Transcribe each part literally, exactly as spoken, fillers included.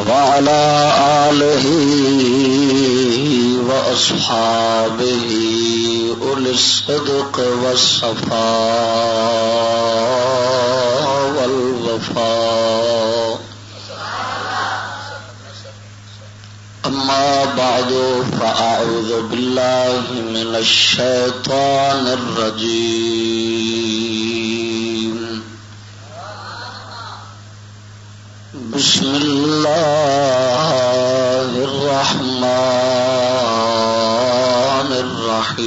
وعلى آله وأصحابه أولي الصدق والصفاء والوفاء. أما بعد، فأعوذ بالله من الشيطان الرجيم. بسم الله الرحمن الرحيم.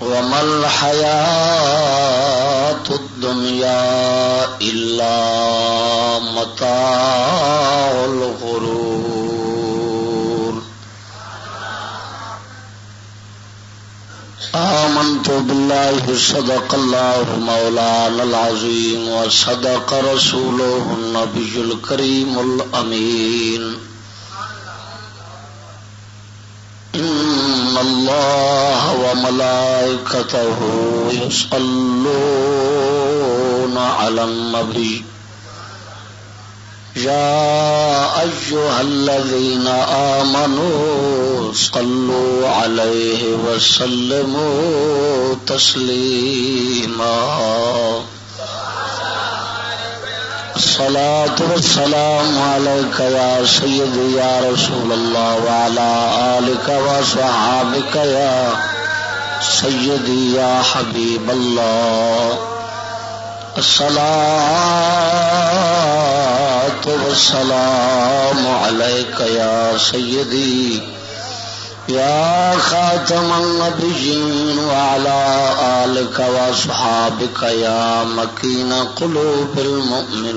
وما الحياة الدنيا إلا متاع الغرور. آمنت بالله، صدق الله مولانا العظيم، وصدق رسوله النبي الكريم الأمين. إن الله وملائكته يصلون على النبي، يا أيها الذين آمنوا صلوا عليه وسلموا تسليما. الصلاة والسلام عليك يا سيدي يا رسول الله، وعلى آلك وصحابك يا سيدي يا حبيب الله. الصلاة والسلام عليك يا سيدي يا خاتم النبيين، وعلى آلك وأصحابك يا مكين قلوب المؤمنين.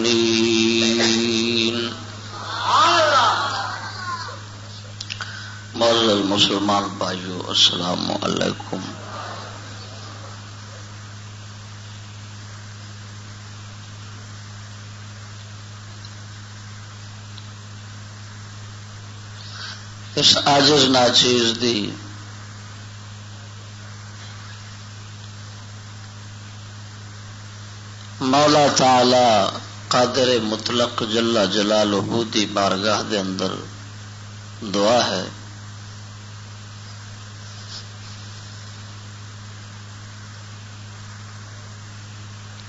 معزز مسلمان بھائیو، السلام علیکم۔ اس عاجز ناچیز دی مولا تعالی قادر مطلق جل جلالہ دی بارگاہ دے اندر دعا ہے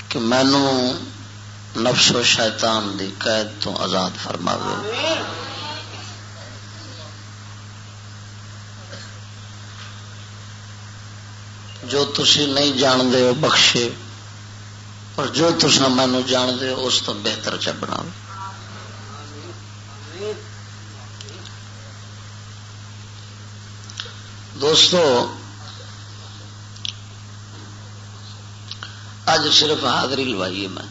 کہ مینوں نفس و شیطان دی قید تو آزاد فرماوے۔ جو تسی نہیں جان دے، وہ بخشے، اور جو تساں مینوں جان دے، اس تو بہتر چ بناوے۔ دوستو، اج صرف حاضری لوائی ہے میں۔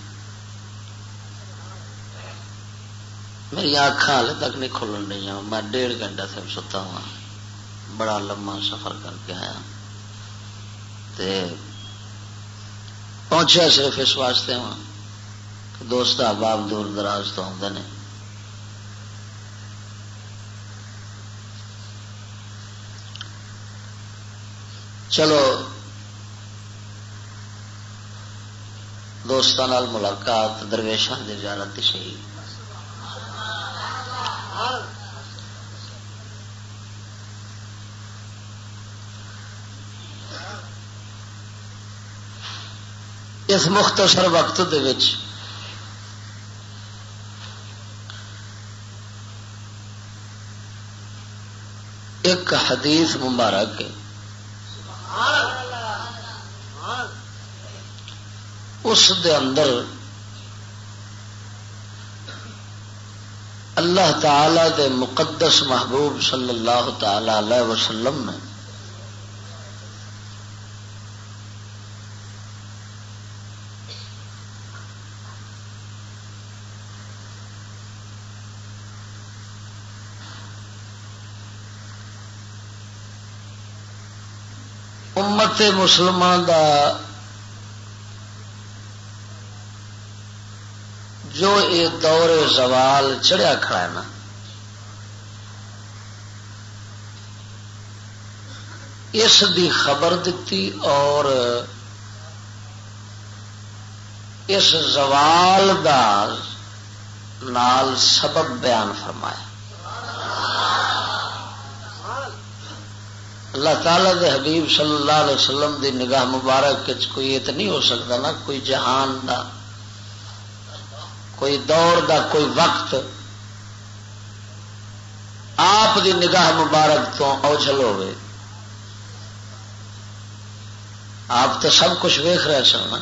میری اکھاں حالے تک نہیں کھلن رہیاں۔ میں ڈیڑھ گھنٹہ سے ستا ہوا، بڑا لمبا سفر کر کے آیا تے پہنچیا صرف اس واسطے ہوا کہ دوست احباب دور دراز تو آتے ہیں۔ چلو، دوستاں نال ملاقات، درویشاں دی زیارت تے شہید۔ اس مختصر وقت دے وچ ایک حدیث مبارک ہے، اس دے اندر اللہ تعالی دے مقدس محبوب صلی اللہ تعالی علیہ وسلم نے امت مسلمہ دا جو اے دور زوال چڑھیا کھڑا ہے نا، اس دی خبر دتی اور اس زوال دا نال سبب بیان فرمایا۔ اللہ تعالیٰ دے حبیب صلی اللہ علیہ وسلم دی نگاہ مبارک وچ کوئی ایت نہیں ہو سکتا، نہ کوئی جہان دا، کوئی دور دا، کوئی وقت آپ دی نگاہ مبارک تو اوجھل ہوئے۔ آپ تو سب کچھ ویکھ رہے سن نا۔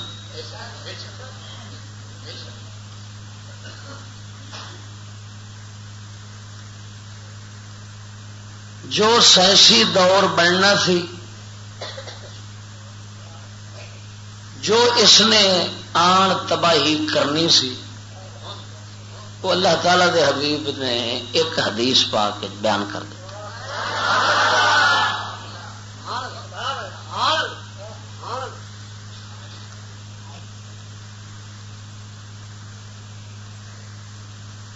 جو سائنسی دور بننا سی، جو اس نے آن تباہی کرنی سی، وہ اللہ تعالیٰ دے حبیب نے ایک حدیث پاک وچ بیان کر دیا۔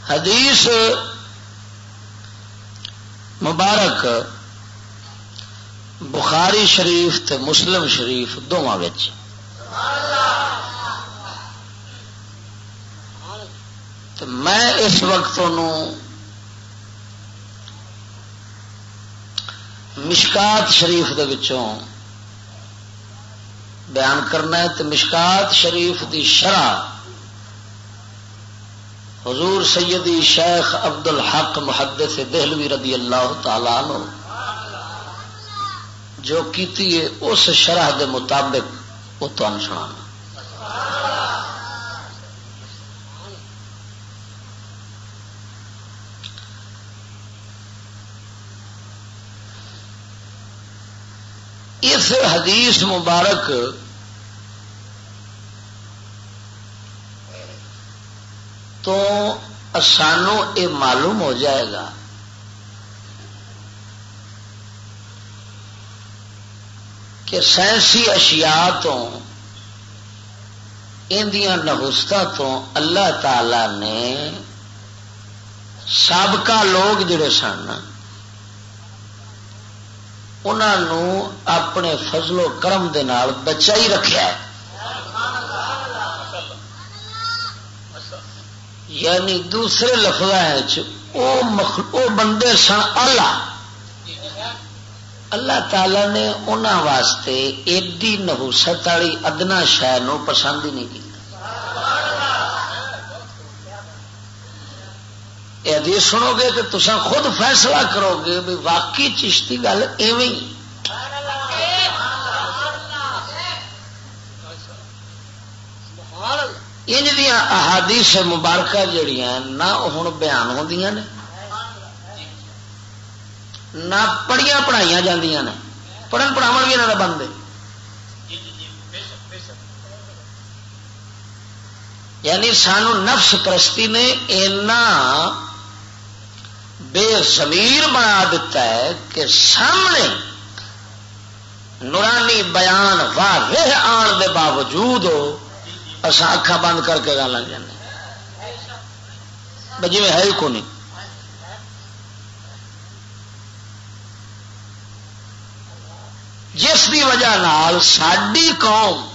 حدیث مبارک بخاری شریف تے مسلم شریف دونوں وچ۔ تے میں اس وقت انہوں مشکات شریف دے وچوں بیان کرنا ہے۔ تے مشکات شریف دی شرح حضور سیدی شیخ عبد الحق محدث دہلوی رضی اللہ تعالی عنہ جو کیتی ہے، اس شرح دے مطابق وہ تمہیں سنانا۔ اس حدیث مبارک تو سانو یہ معلوم ہو جائے گا کہ سائنسی اشیاء تو، ان دیاں نحوستاں تو اللہ تعالی نے سابقہ لوگ جڑے سن، انہاں نوں اپنے فضل و کرم دے نال بچائی رکھیا ہے۔ یعنی دوسرے لفظاں وچ او مخ-، او بندے سن اعلیٰ۔ اللہ تعالیٰ نے انہاں واسطے ایڈی نحوست والی ادنا شے نوں پسند ہی نہیں کیتا۔ یہ حدیث سنو گے تو تساں خود فیصلہ کرو گے بھی واقعی چشتی گل ایویں ہی۔ انج دیاں احادیث مبارکہ جڑیاں نہ ہن بیان ہوندیاں نے، نہ پڑھیاں پڑھائیاں جاندیاں نے، پڑھن پڑھاون بھی انہاں دا بند ہے۔ یعنی سانو نفس پرستی نے اینا بے ضمیر بنا دیتا ہے کہ سامنے نورانی بیان واضح آن دے باوجود اساں اکھاں بند کر کے گالاں جانے، بس جویں ہے ہی کونی۔ جس دی وجہ نال ساڈی قوم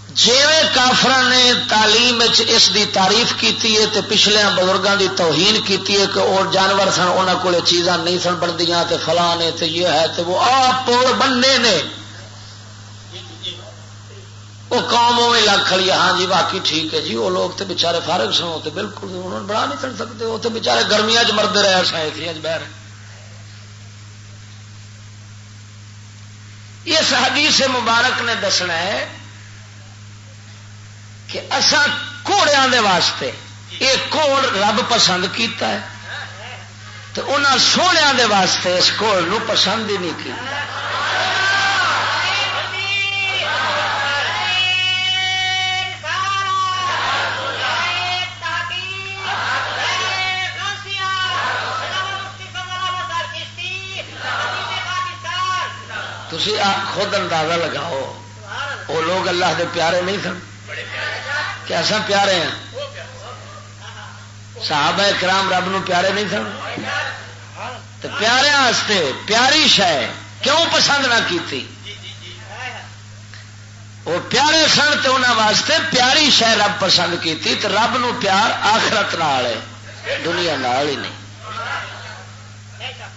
جیویں کافراں نے تعلیم وچ اس دی تعریف کیتی ہے تے پچھلیاں بزرگاں دی توہین کیتی ہے کہ او جانور سن، انہاں کولے چیزاں نہیں سن بنڑدیاں تے فلاں نے تے یہ ہے تے وہ، آ پوڑ بننے نے۔ وہ قوم اوویں لگ کھڑی ہے، ہاں جی باقی ٹھیک ہے جی، وہ لوگ تے بیچارے فارغ سن، وہ تے بالکل انہوں نے بنا نہیں سن سکتے، وہ تے بیچارے گرمیاں چ مردے رہے، اساں اے سی اچ بہ رہے۔ اس حدیث مبارک نے دسنا ہے کہ اساں گھوڑیاں دے واسطے یہ گھوڑ رب پسند کیتا ہے، تے انہاں سوہنیاں دے واسطے اس گھوڑ نوں پسند ہی نہیں کیتا۔ تسی آپ خود اندازہ لگاؤ، وہ لوگ اللہ دے پیارے نہیں سن؟ کہ اساں پیارے ہیں؟ صحابہ کرام رب نو پیارے نہیں سن؟ تے پیاریاں واسطے پیاری شے کیوں پسند نہ کیتی؟ وہ پیارے سن تے انہاں واسطے پیاری شے رب پسند کیتی، تے رب نو پیار آخرت نال ہے، دنیا نال ہی نہیں۔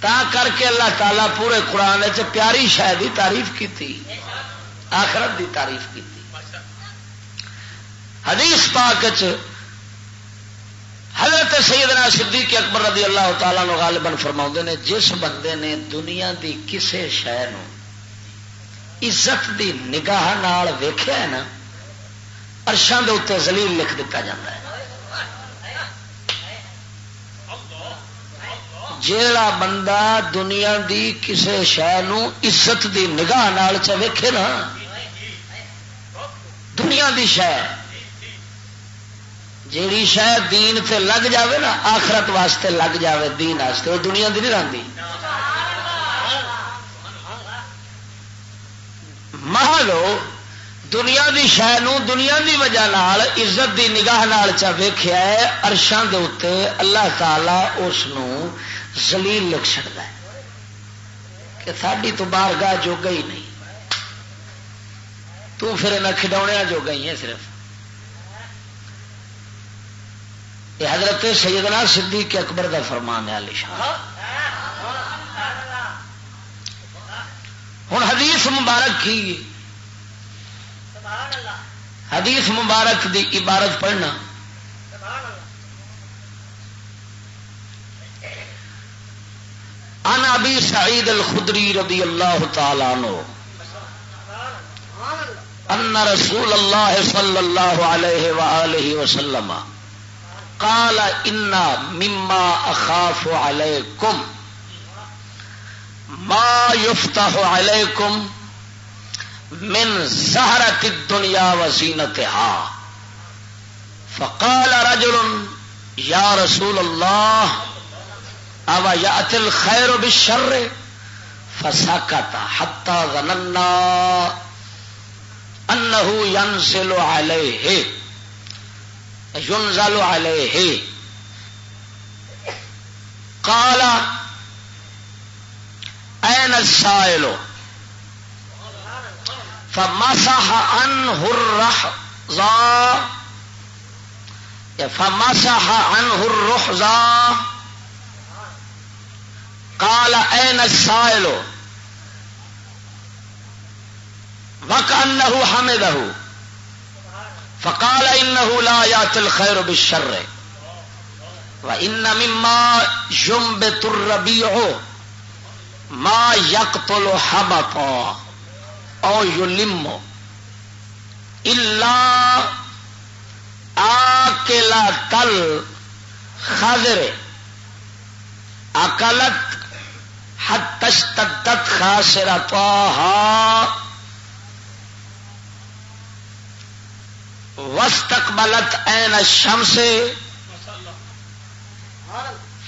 تا کر کے اللہ تعالیٰ پورے قرآن وچ پیاری شے دی تعریف کیتی، آخرت دی تعریف کیتی۔ حدیث پاک وچ حضرت سیدنا صدیق اکبر رضی اللہ تعالیٰ عنہ غالباً فرماؤندے نے، جس بندے نے دنیا دی کسے شے نو عزت دی نگاہ نال ویکھیا ہے نا، عرشاں دے اُتے ذلیل لکھ دتا جاندا ہے۔ جیڑا بندہ دنیا دی کسے شے نو عزت دی نگاہ نال چا ویکھے نا، دنیا دی شے، جیڑی شے دین تے لگ جاوے نا، آخرت واسطے لگ جاوے، دین واسطے، وہ دنیا دی نہیں رہندی۔ محض وہ دنیا دی شے نو دنیا دی وجہ نال، عزت دی نگاہ نال چا ویکھیا ہے، عرشاں دے اُتے اللہ تعالیٰ اس نو ذلیل لکھ چھڑدا ہے کہ ساڈی تو بارگاہ جوگا ہی نہیں، تو پھر انہاں کھڈاونیاں جوگا ہی ہے صرف۔ یہ حضرت سیدنا صدیق اکبر دا فرمان ہے، عالی شان۔ ہن حدیث مبارک کی، حدیث مبارک دی عبارت پڑھنا۔ عن ابی سعید الخدری رضی اللہ تعالی عنہ ان رسول اللہ صلی اللہ علیہ وآلہ وسلم قال ان مما اخاف علیکم ما یفتح علیکم من زہرت الدنیا و زینتہا۔ فقال رجل یا رسول اللہ او یأتی الخیر بالشر؟ فسکت حتی ظننا انه ينزل عليه، ينزل عليه۔ قال اين السائل؟ فمسح عنه الرحضا، فمسح عنه الرحضا۔ قال اين السائل؟ وكأنه حمده، فقال إنه لا يأتي الخير بالشر، وإن مما ينبت الربيع ما يقتل حبطا أو يلم إلا آکلۃ الخضر، اکلت حتی اشتدت خاصرتها واستقبلت عین الشمس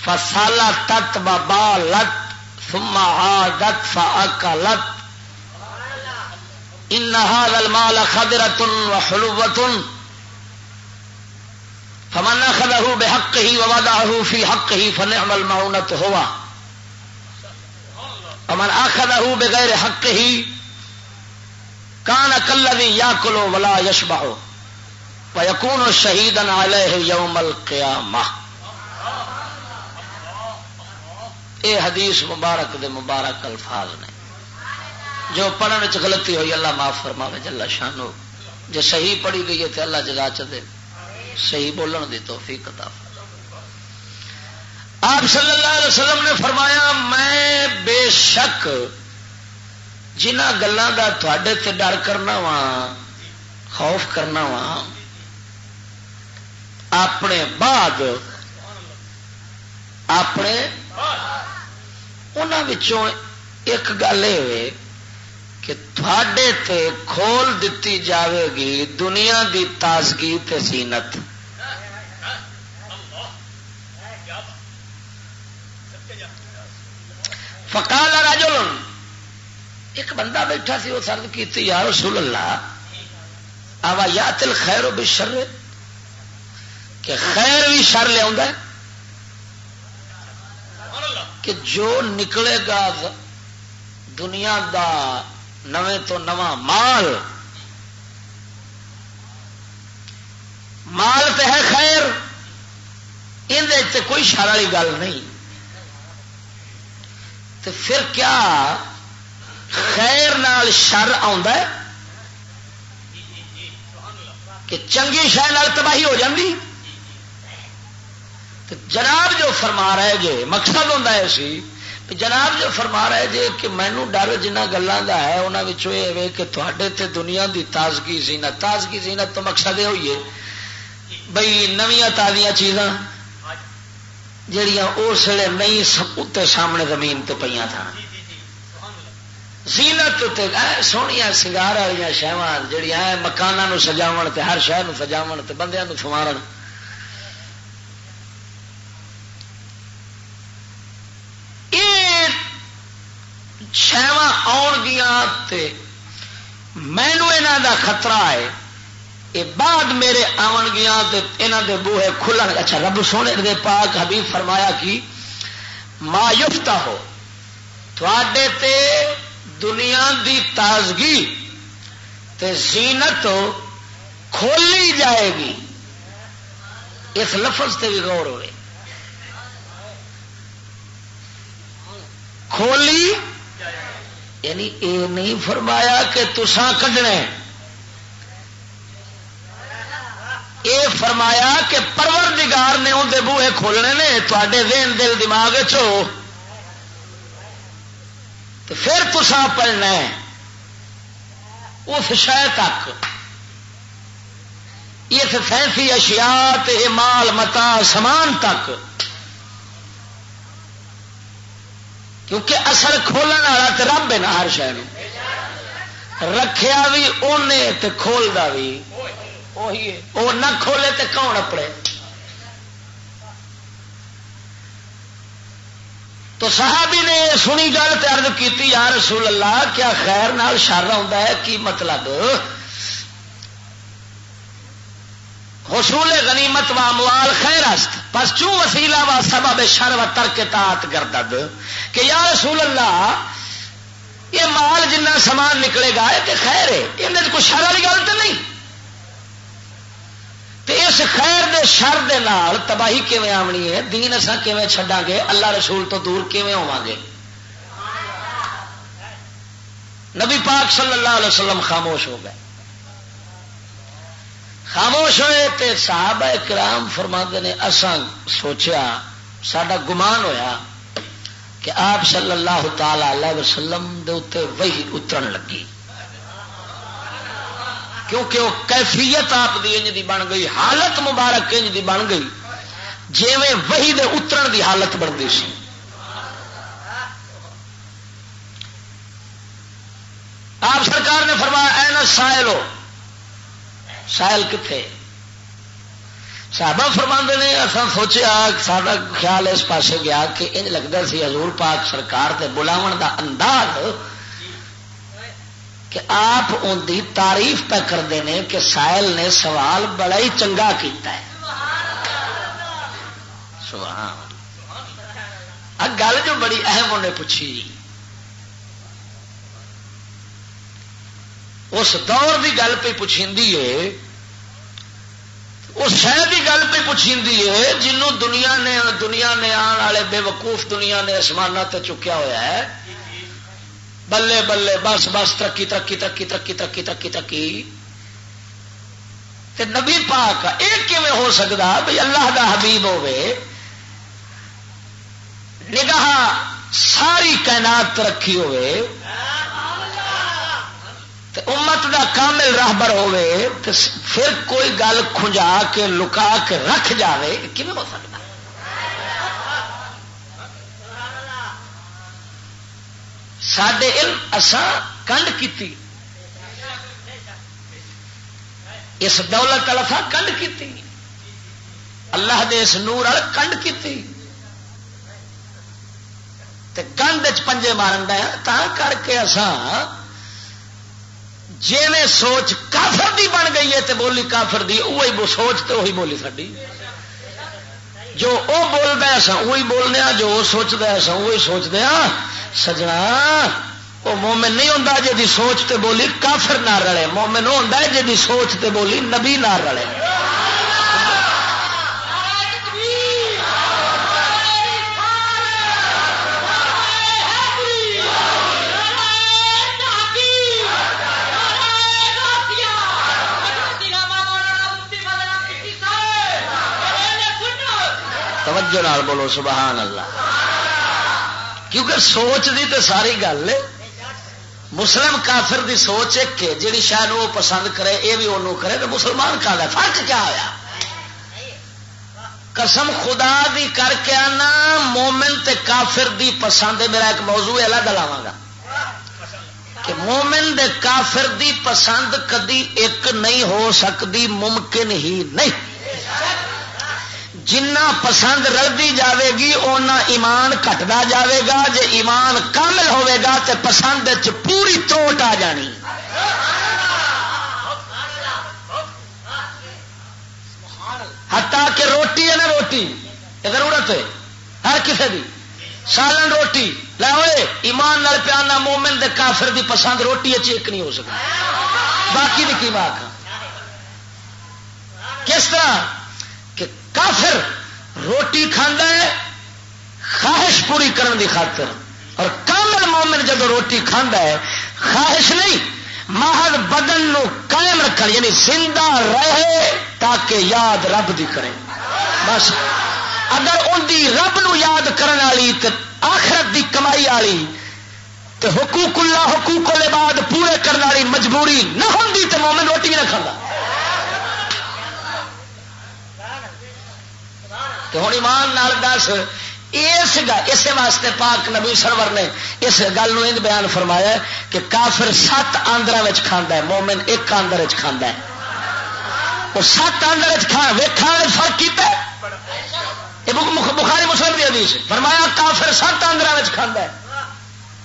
فسلتت وبالت ثم عادت فاکلت۔ ان هذا المال خضرة وحلوة، فمن اخذه بحقه ووضعه في حقه فنعم المعونة هو، ومن اخذه بغير حقه كان كالذي يأكل ولا يشبع ويكون شهيدا عليه يوم القيامة۔ اے حدیث مبارک دے مبارک الفاظ نے۔ جو پڑھن وچ غلطی ہوئی، اللہ معاف فرماوے جل شانہ۔ جے صحیح پڑھی گئی ہے تے اللہ جزا چ دے، صحیح بولن دی توفیق عطا فرمائے۔ آپ صلی اللہ علیہ وسلم نے فرمایا، میں بے شک جنہاں گلاں دا تہاڈے تے ڈر کرنا وا، خوف کرنا وا، اپنے بعد، اپنے، انہاں وچوں ایک گل یہ ہوئے کہ تھوڑے تے کھول دتی جاوے گی دنیا دی تازگی تے زینت۔ فقال رجل، ایک بندہ بیٹھا سی، اس عرض کیتی، یا رسول اللہ، اوا یات الخیر بالشر، کہ خیر بھی شر لے آوندا ہے؟ کہ جو نکلے گا ز-، دنیا دا نویں تو نواں مال، مال تے ہے خیر، اندے تے کوئی شر والی گل نہیں۔ تے پھر کیا خیر نال شر آوندا ہے کہ چنگی شے نال تباہی ہو جاندی؟ تے جناب جو فرما رہے جے، مقصد ہوندا ہے سی کہ جناب جو فرما رہے جے کہ مینوں ڈر جنہاں گلاں دا ہے، انہاں وچوں یہ ہے کہ تہاڈے تے دنیا دی تازگی زینت، تازگی زینت تو مقصد یہ ہوئی ہے بھئی نویاں تازیاں چیزاں جڑیاں اس ویلے نہیں س-، اتے سامنے زمین تے پئیاں تھان۔ زینت تے اے سوہنیاں سنگار والیاں شیواں جڑیاں اے مکاناں نو سجاون تے ہر شے نو سجاون تے بندیاں نو سنوارن۔ اے شیواں آن گیاں تے مینوں انہاں دا خطرہ ہے۔ اے بعد میرے آون گیاں تے انہاں دے بوہے کھلن۔ اچھا، رب سونے دے پاک حبیب فرمایا کہ ما یفتح ہو، تھوڑے تے دنیا دی تازگی تے زینت کھولی جائے گی۔ اس لفظ تے بھی غور ہوئے، کھولی، یعنی اے نہیں فرمایا کہ تساں کڈنے، اے فرمایا کہ پروردگار نے اون دے بوہے کھولنے نے، تواڈے ذہن دل دماغ چو، تو پھر تساں پڑھنا ہے اس شے تک، اس سائنسی اشیاء تے مال متاع سامان تک، کیونکہ اصل کھولن والا تے رب ہے نا، ہر شے نو رکھیا بھی اونے تے کھولدا بھی اوہی ہے۔ او نہ کھولے تے کون اپڑے؟ تو صحابی نے یہ سنی گل تے عرض کیتی، یا رسول اللہ، کیا خیر نال شر آوندا ہے؟ کی مطلب؟ حصول غنیمت و اموال خیر است، پس چون وسیلہ و سبب شر و ترک طاعت گردد؟ کہ یا رسول اللہ، یہ مال جنہ سامان نکلے گا، یہ تے خیر ہے، یہ کوئی شر والی گل تو نہیں؟ تے اس خیر دے شر دے نال تباہی کیویں آونی ہے؟ دین اساں کیویں چھڈاں گے؟ اللہ رسول تو دور کیویں ہوواں گے؟ نبی پاک صلی اللہ علیہ وسلم خاموش ہو گئے۔ خاموش ہوئے تے صحابہ کرام فرماندے نے، اساں سوچیا، ساڈا گمان ہویا کہ آپ صلی اللہ تعالی علیہ وسلم دے اُتے وحی اترن لگی، کیونکہ وہ کیفیت آپ دی انج دی بن گئی، حالت مبارک انج دی بن گئی، جیویں وحی دے اترن دی حالت بندی سی۔ آپ سرکار نے فرمایا، "اے نہ سائل ہو، سائل کتھے؟" صحابہ فرماندے نے، اساں سوچیا، ساڈا خیال اس پاسے گیا کہ انج لگدا سی حضور پاک سرکار دے بلاون دا انداز کہ آپ ان دی تعریف پہ کردے نے کہ سائل نے سوال بڑا ہی چنگا کیتا ہے۔ سبحان اللہ۔ آ گل جو بڑی اہم انہیں پوچھی، اس دور دی گل پہ پچھیندی ہے، اس شہر دی گل پہ پچھیندی ہے جنوں دنیا نے، دنیا نے آن والے بے وقوف دنیا نے آسماناں تے چکیا ہویا ہے۔ بلے بلے، بس بس، ترقی، ترقی، ترقی، ترقی، ترقی، ترقی، ترقی۔ تے نبی پاک، اے کیویں ہو سکدا بھئی اللہ دا حبیب ہوے، نگاہ ساری کائنات تے رکھی ہوے، تے امت دا کامل راہبر ہوے، تے پھر کوئی گل کھنجا کے، لکا کے رکھ جاوے، اے کیویں ہو سکدا؟ ساڈے علم اساں کنڈ کیتی، اس دولت الفا کنڈ کیتی، اللہ دے اس نور ال کنڈ کیتی، تے گند وچ پنجے مارن دا، تاں کر کے اساں جیویں سوچ کافر دی بن گئی ہے تے بولی کافر دی، اوہی بو-، سوچ تے اوہی بولی ساڈی۔ جو او بولدا ہے، اساں اوہی بولنے آں، جو او سوچدا ہے، اساں اوہی سوچدے آں۔ سجنا، او مومن نہیں ہوندا جے دی سوچ تے بولی کافر نہ رلے۔ مومن او ہوندا ہے جے دی سوچ تے بولی نبی نہ رلے۔ توجہ نال بولو، سبحان اللہ۔ کیونکہ سوچ دی تے ساری گل ہے۔ مسلم کافر دی سوچ ایک ہے، جڑی شاید وہ پسند کرے، یہ بھی انہوں کرے، تو مسلمان کا ہے؟ فرق کیا ہویا؟ قسم خدا دی کر کے آنا، مومن تے کافر دی پسند ہے۔ میرا ایک موضوع الگ لاواں گا کہ مومن دے کافر دی پسند کدی ایک نہیں ہو سکتی، ممکن ہی نہیں۔ جنہ پسند رلدی جاوے گی، اونا ایمان گھٹدا جاوے گا۔ جے ایمان کامل ہوے گا تے پسند وچ پوری تروٹ آ جانی۔ حتیٰ کہ روٹی ہے نا، روٹی، یہ ضرورت ہے ہر کسی دی۔ سالن روٹی لے ہوئے، ایمان نال پیانا، مومن دے کافر دی پسند روٹی اچ ایک نہیں ہو سکتی۔ باقی دی کی بات ہے؟ کس طرح کہ کافر روٹی کھاندا ہے خواہش پوری کرن دی خاطر، اور کامل مومن جدو روٹی کھاندا ہے، خواہش نہیں، محض بدن نو قائم رکھن، یعنی زندہ رہے تاکہ یاد رب دی کرے۔ بس، اگر ان دی رب نو یاد کرن والی تے آخرت دی کمائی والی تے حقوق اللہ، حقوق العباد پورے کرن والی مجبوری نہ ہوندی تے مومن روٹی بھی نہ کھاندا۔ تے ہن ایمان نال دس، اس گ-، اسے واسطے پاک نبی سرور نے اس گل نو انج بیان فرمایا ہے کہ کافر ست آندراں وچ کھاندا ہے، مومن ایک آندر وچ کھاندا ہے۔ وہ ست آندر وچ کھا-، ویکھاں وچ فرق کیتا ہے۔ یہ بخ-، مخ-، بخاری مسلم دی حدیث ہے۔ فرمایا، کافر ست آندراں وچ کھاندا ہے،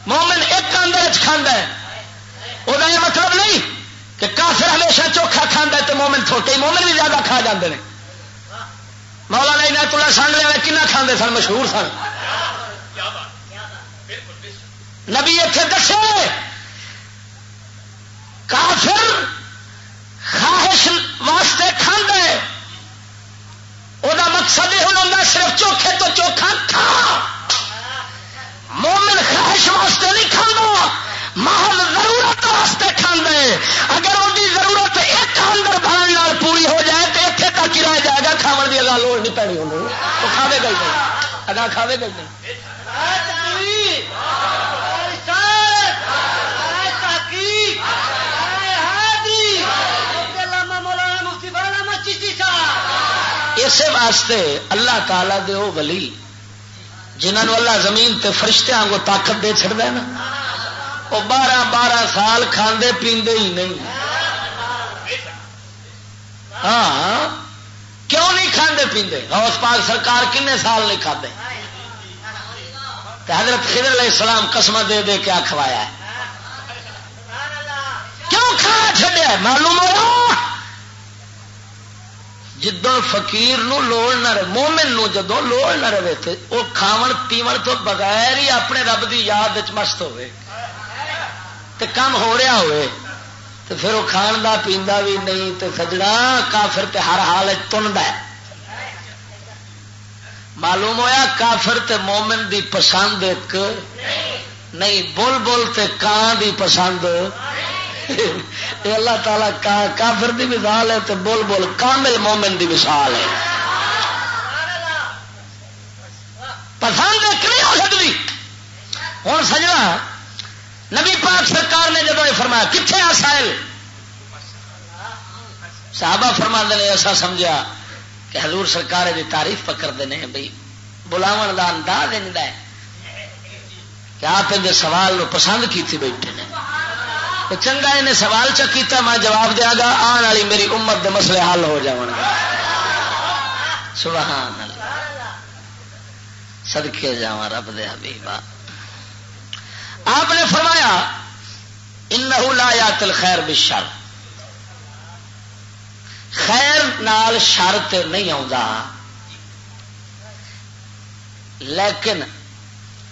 مومن ایک آندر وچ کھاندا ہے۔ وہ یہ مطلب نہیں کہ کافر ہمیشہ چوکھا کھاندا ہے تے مومن تھوٹے، مومن بھی زیادہ کھا جاندے نے۔ مولانا عنایت اللہ سانگلے والے کنا کھاندے سن، مشہور سن۔ نبی اتھے دسے، کافر خواہش واسطے کھاندا ہے، او دا مقصد یہ ہوندا صرف چوکھے تو چوکھا کھا۔ مومن خواہش واسطے نہیں کھاندا، محض ضرورت واسطے کھاندا ہے۔ اگر ان دی ضرورت ایک اندر بھرن نال پوری ہو جائے تو اتھے تک ہی رہ جائے گا، کھاون دی اگاں لوڑ نہیں پینی انہوں۔ وہ کھاوے گا ہی نہیں، اگاں کھاوے گا ہی نہیں۔ اسے واسطے اللہ تعالیٰ دے او ولی، جنہاں نوں اللہ زمین تے فرشتیاں وانگوں طاقت دے چھڑدا ہے نا، او بارہ بارہ سال کھاندے پیندے ہی نہیں۔ ہاں، کیوں نہیں کھاندے پیندے؟ غوث پاک سرکار کنے سال نہیں کھادے؟ تے حضرت خضر علیہ السلام قسم دے دے کے آ کھوایا ہے۔ کیوں کھانا چھڈیا ہے؟ معلوم ہوا، جدوں فقیر نو لوڑ نہ رہے، مومن نو جدوں لوڑ نہ رہے تے او کھاون پیون تو بغیر ہی اپنے رب دی یاد وچ مست ہوئے تے کم ہو رہا ہوئے، تے پھر وہ کھان دا پیندا بھی نہیں۔ تے سجنا، کافر تے ہر حال وچ تندا ہے۔ معلوم ہویا، کافر تے مومن دی پسند ایک نہیں، بلبل تے کان دی پسند۔ اے اللہ تعالیٰ کا-، کافر دی مثال ہے تے بلبل کامل مومن دی مثال ہے۔ پسند ایک نہیں ہو سکتی۔ ہن سجنا، نبی پاک سرکار نے جدوں یہ فرمایا، "کتھے آ سائل؟" صحابہ فرماندے نے، "اساں سمجھیا کہ حضور سرکار دی تعریف پکڑ دے نے بھئی، بلاون دا انداز انج دا ہے کہ آپ ان دے سوال نو پسند کیتی بیٹھے نے۔ تو چنگا انہیں سوال چا کیتا، میں جواب دیاں گا، آن والی میری امت دے مسئلے حل ہو جاون گے۔" سبحان اللہ۔ صدقے جاواں رب دے حبیبا۔ آپ نے فرمایا، "انہ لا یات الخیر بالشر"، خیر نال شر تے نہیں آوندا۔ لیکن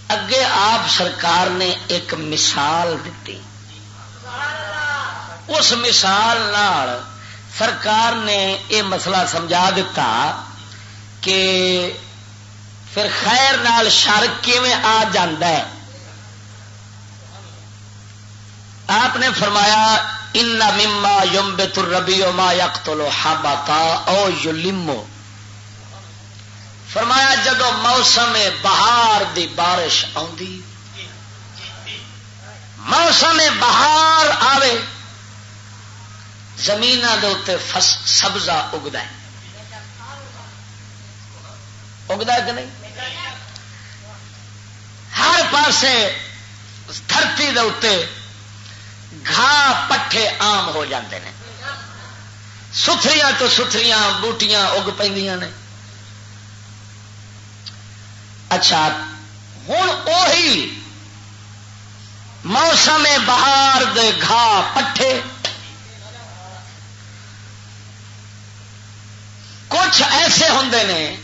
اگے آپ سرکار نے ایک مثال دتی۔ اس مثال نال سرکار نے یہ مسئلہ سمجھا دتا کہ پھر خیر نال شر کیویں آ جاندا ہے۔ آپ نے فرمایا، "ان مما ينبت الربيع ما يقتل حبطا او يلم۔" فرمایا، جدو موسم بہار دی بارش آندی، موسم بہار آوے، زمیناں دے اُتے فس-، سبزہ اگدا ہے۔ اگدا ہے کہ نہیں؟ ہر پاسے دھرتی دے اُتے گھاہ پٹھے عام ہو جاندے نے، ستھریاں تو ستھریاں بوٹیاں اگ پیندیاں نے۔ اچھا، ہن اوہی موسم بہار دے گھاہ پٹھے، کچھ ایسے ہوندے نے،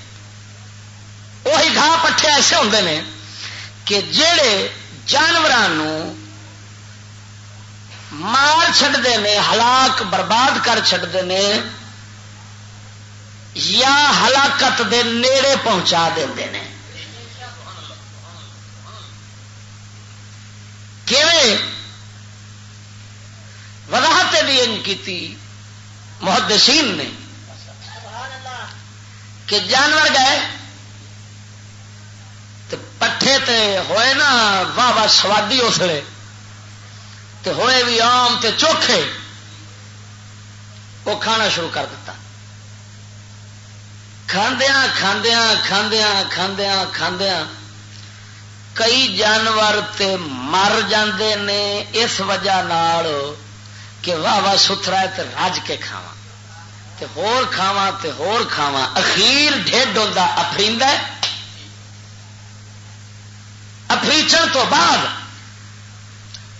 وہی گھاہ پٹھے ایسے ہوندے نے کہ جڑے جانوراں نوں مار چھڈدے نے، ہلاک برباد کر چھڈدے نے، یا ہلاکت دے نیڑے پہنچا دیندے نے۔ کیویں؟ وضاحت دی انج کیتی محدثین نے کہ جانور گئے تے پٹھے تے ہوئے نا، واہ واہ سوادی اس ویلے، تے ہوئے بھی عام تے چوکھے، وہ کھانا شروع کر دیتا۔ کھاندیاں کھاندیاں کھاندیاں کھاندیاں کھاندیاں کئی جانور تے مر جاندے نے اس وجہ نال کہ واہ واہ ستھرا ہے تے رج کے کھاواں، تے ہور کھاواں، تے ہور کھاواں۔ اخیر ڈھڈ ہوندا افریندا ہے۔ افریچن تو بعد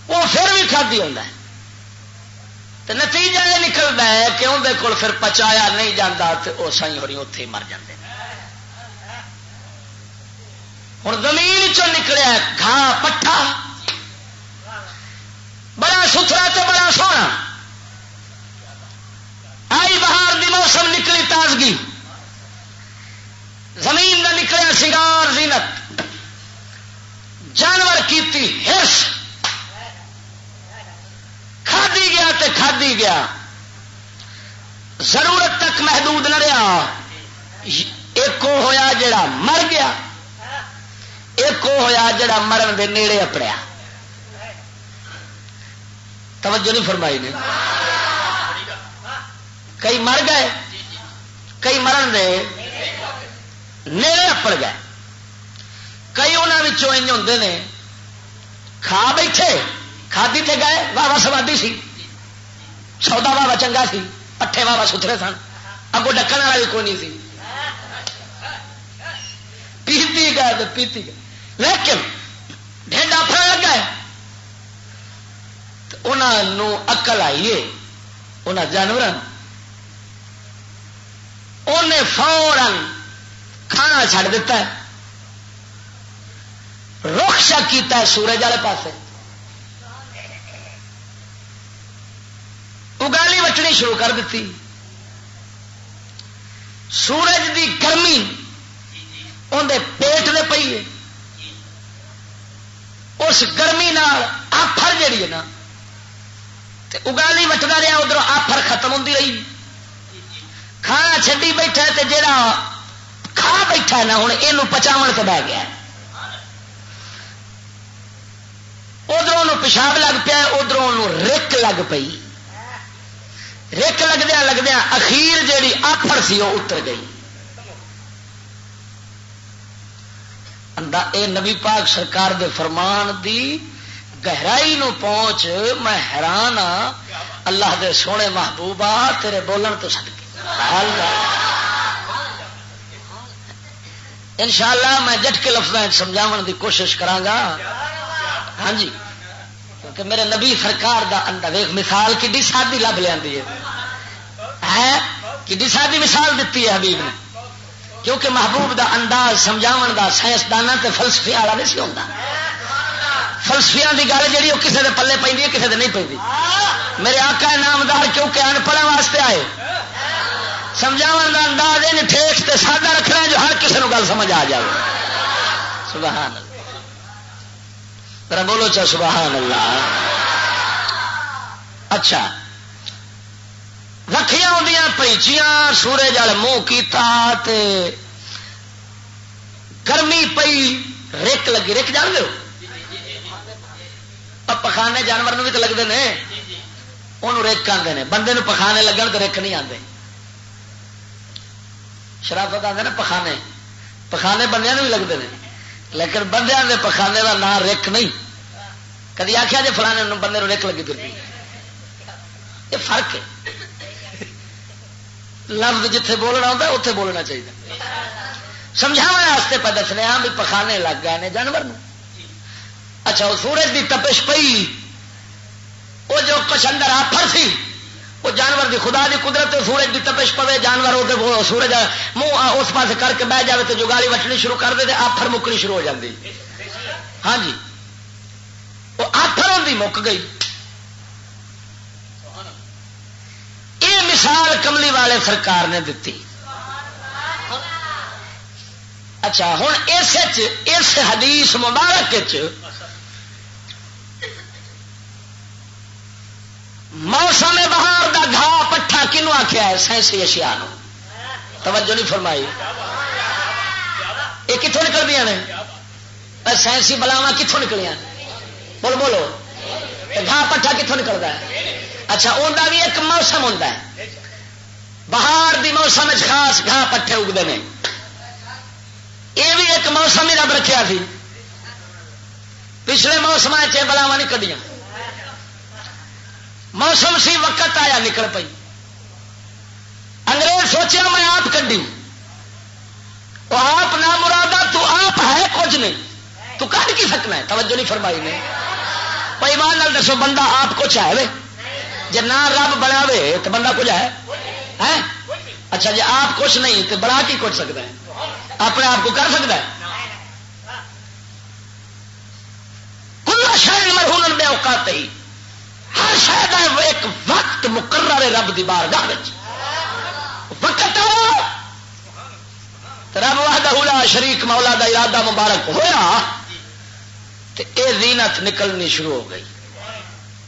وہ پھر بھی کھادی ہوندا ہے۔ تے نتیجہ یہ نکلدا ہے کہ اون دے کول پھر پچایا نہیں جاندا تے او سائیں ہوری اوتھے ہی مر جاندے نے۔ ہن زمین چوں نکلیا گھا پٹھا، بڑا ستھرا تے بڑا سوہنا۔ آئی بہار دی موسم، نکلی تازگی، زمین دا نکلیا سنگار زینت، جانور کیتی ہرس، کھادی گیا تے کھادی گیا، ضرورت تک محدود نہ رہا۔ ایک وہ ہویا جڑا مر گیا، ایک وہ ہویا جڑا مرن دے نیڑے اپڑیا۔ توجہ نہیں فرمائی نے۔ کئی مر گئے، کئی مرن دے نیڑے اپڑ گئے۔ کئی انہاں وچوں انج ہوندے نے، کھا بیٹھے، کھادی تے گئے، واہ واہ سوادی سی، سودا واہ واہ چنگا سی، پٹھے واہ واہ ستھرے سن، اگوں ڈکن والا بھی کوئی نہیں سی، پیتی گئے تے پیتی گئے، لیکن ڈھڈ آفرن لگا ہے۔ تے انہاں نوں عقل آئی ہے، انہاں جانوراں نوں۔ انہیں فوراً کھانا چھڈ دتا ہے، رخ شا کیتا ہے سورج والے پاسے۔ اگالی وٹنی شروع کر دتی۔ سورج دی گرمی اندے پیٹ دے پئی ہے۔ اس گرمی نال آفر جڑی ہے نا، تے اگالی وٹدا رہیا، ادھروں آفر ختم ہوندی رہی۔ کھانا چھڈی بیٹھا ہے تے جڑا کھا بیٹھا ہے نا، ہن اینوں پچاون تے بہ گیا ہے۔ ادھروں اونوں پیشاب لگ پیا، ادھروں اونوں رک لگ پئی۔ رک لگدیاں لگدیاں اخیر جیڑی آفر سی، وہ اتر گئی۔ اندا اے نبی پاک سرکار دے فرمان دی گہرائی نو پہنچ، میں حیران ہاں۔ اللہ دے سونے محبوبا، تیرے بولن تو صدقے۔ سبحان اللہ۔ انشاءاللہ میں جٹ کے لفظاں وچ سمجھاون دی کوشش کراں گا۔ ہاں جی، کیونکہ میرے نبی سرکار دا اندر ویکھ، مثال کڈی سادی لب لیندی ہے، ہے کڈی سادی مثال دتی ہے حبیب نے۔ کیونکہ محبوب دا انداز سمجھاون دا سائنسداناں تے فلسفیاں والا نہیں سی ہوندا۔ فلسفیاں دی گل جڑی، وہ کسے دے پلے پیندی ہے، کسے دے نہیں پیندی۔ میرے آقا نامدار کیونکہ ان پڑھن واسطے آئے، سمجھاون دا انداز ان ٹھیک تے سادہ رکھنا ہے جو ہر کسے نوں گل سمجھ آ جائے۔ سبحان اللہ۔ ذرا بولو چا، سبحان اللہ۔ اچھا، رکھیاں ہوندیاں پیچیاں، سورج وال منہ کیتا تے گرمی پئی، رک لگی۔ رک جان دے ہو؟ اب پخانے جانور نوں بھی تو لگدے نے، انہوں رک آندے نے۔ بندے نوں پخانے لگن تے رک نہیں آندے۔ شرافت آندے نا پخانے، پخانے بندیاں نوں بھی لگدے نے، لیکن بندیاں دے پخانے دا نام رک نہیں۔ کدی آکھیا جے فلانے نوں، بندے نوں رک لگی پھر؟ یہ فرق ہے۔ لفظ جتھے بولنا ہوندا ہے، اتھے بولنا چاہیے۔ سمجھاونے واسطے پہ دسنے ہاں بھی پخانے لگ گئے نے جانور نوں۔ اچھا، وہ سورج دی تپش پئی، وہ جو کچھ اندر آفر سی، وہ جانور دی، خدا دی قدرت، سورج دی تپش پوے، جانور وہ تے وہ سورج منہ آ اس پاس کر کے بہ جاوے تے جگالی وٹنی شروع کر دے تے آفر مکنی شروع ہو جاندی۔ ہاں جی، وہ آفر ہوندی مک گئی۔ یہ مثال کملی والے سرکار نے دتی۔ اچھا، ہن اس وچ، اس حدیث مبارک وچ موسم بہار دا گھا پٹھا کنوں آکھیا ہے؟ سائنسی اشیاء نوں۔ توجہ نہیں فرمائی۔ یہ کتھوں نکلدیاں نے؟ اے سائنسی بلاواں کتھوں نکلیاں؟ بول بولو۔ تے گھا پٹھا کتھوں نکلدا ہے؟ اچھا، اوندا بھی ایک موسم ہوندا ہے۔ بہار دی موسم وچ خاص گھا پٹھے اگدے نے۔ یہ بھی ایک موسم ہی رب رکھیا سی۔ پچھلے موسم وچ یہ بلاواں نہیں کڈیاں۔ موسم سی، وقت آیا، نکل پئی۔ انگریز سوچیا، میں آپ کڈی۔ وہ آپ نہ مرادا، تو آپ ہے کچھ نہیں، تو کڈ کی سکنا ہے؟ توجہ نہیں فرمائی نے۔ پر ایمان نال دسو، بندہ آپ کچھ ہے وے؟ جے نہ رب بناوے تو بندہ کچھ ہے؟ ہے؟ اچھا، جے آپ کچھ نہیں تو بنا کی کچھ سکتا ہے؟ اپنے آپ کو کر سکتا ہے؟ کل شے مرہون بے اوقات ہی، ہر شے دا ایک وقت مقرر ہے رب دی بارگاہ وچ۔ وقت آیا، تے رب وحدہ لا شریک مولا دا ارادہ مبارک ہویا، تے اے زینت نکلنی شروع ہو گئی۔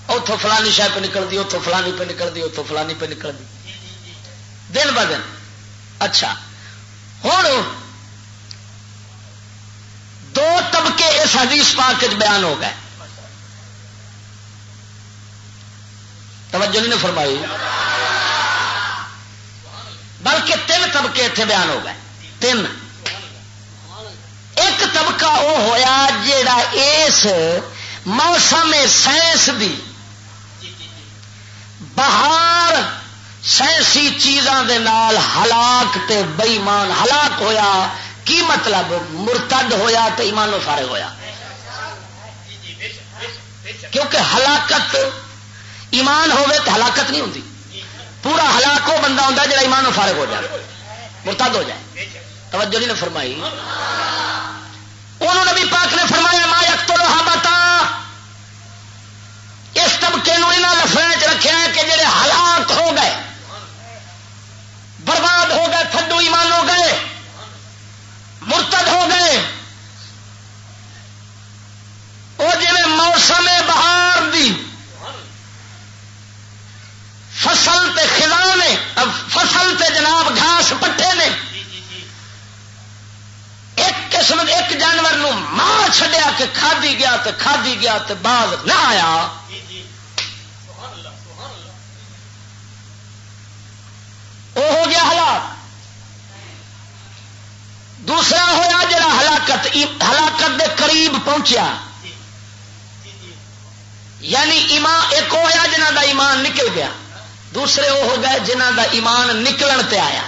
اتھوں فلانی شے پہ نکل دی، اتھوں فلانی پہ نکل دی، اتھوں فلانی پہ نکل دی، دن ب دن۔ اچھا، ہن دو طبقے اس حدیث پاک وچ بیان ہو گئے۔ توجہ نہیں نے فرمائی، بلکہ تین طبقے اتنے بیان ہو گئے۔ تین۔ ایک طبقہ وہ ہویا جڑا اس موسم سائنس دی بہار سائنسی چیزاں دے نال ہلاک تے بے ایمان ہلاک ہویا۔ کی مطلب؟ مرتد ہویا تے ایمانوں فارغ ہویا۔ کیونکہ ہلاکت، ایمان ہوے تے ہلاکت نہیں ہوندی۔ پورا ہلاک وہ بندہ ہوندا جڑا ایمانوں فارغ ہو جائے، مرتد ہو جائے۔ توجہ نہیں نے فرمائی۔ انہوں نبی پاک نے فرمایا، ما یقتلها بتا، اس طبقے نو انہاں لفظاں وچ رکھیا ہے کہ جڑے ہلاک ہو گئے، برباد ہو گئے، تھڈو ایمان ہو گئے، مرتد ہو گئے۔ او جویں موسم بہار دی فصل تے خزاں نے، فصل تے جناب گھاس پٹھے نے، ایک قسم، ایک جانور نو مار چھڈیا تے کھادی گیا تے کھادی گیا تے باز نہ آیا۔ وہ ہو گیا ہلاک۔ دوسرا ہویا جڑا ہلاکت، ہلاکت دے قریب پہنچیا، یعنی ایمان، ایک ہویا جنہاں دا ایمان نکل گیا، دوسرے وہ ہو گئے جنہاں دا ایمان نکلن تے آیا،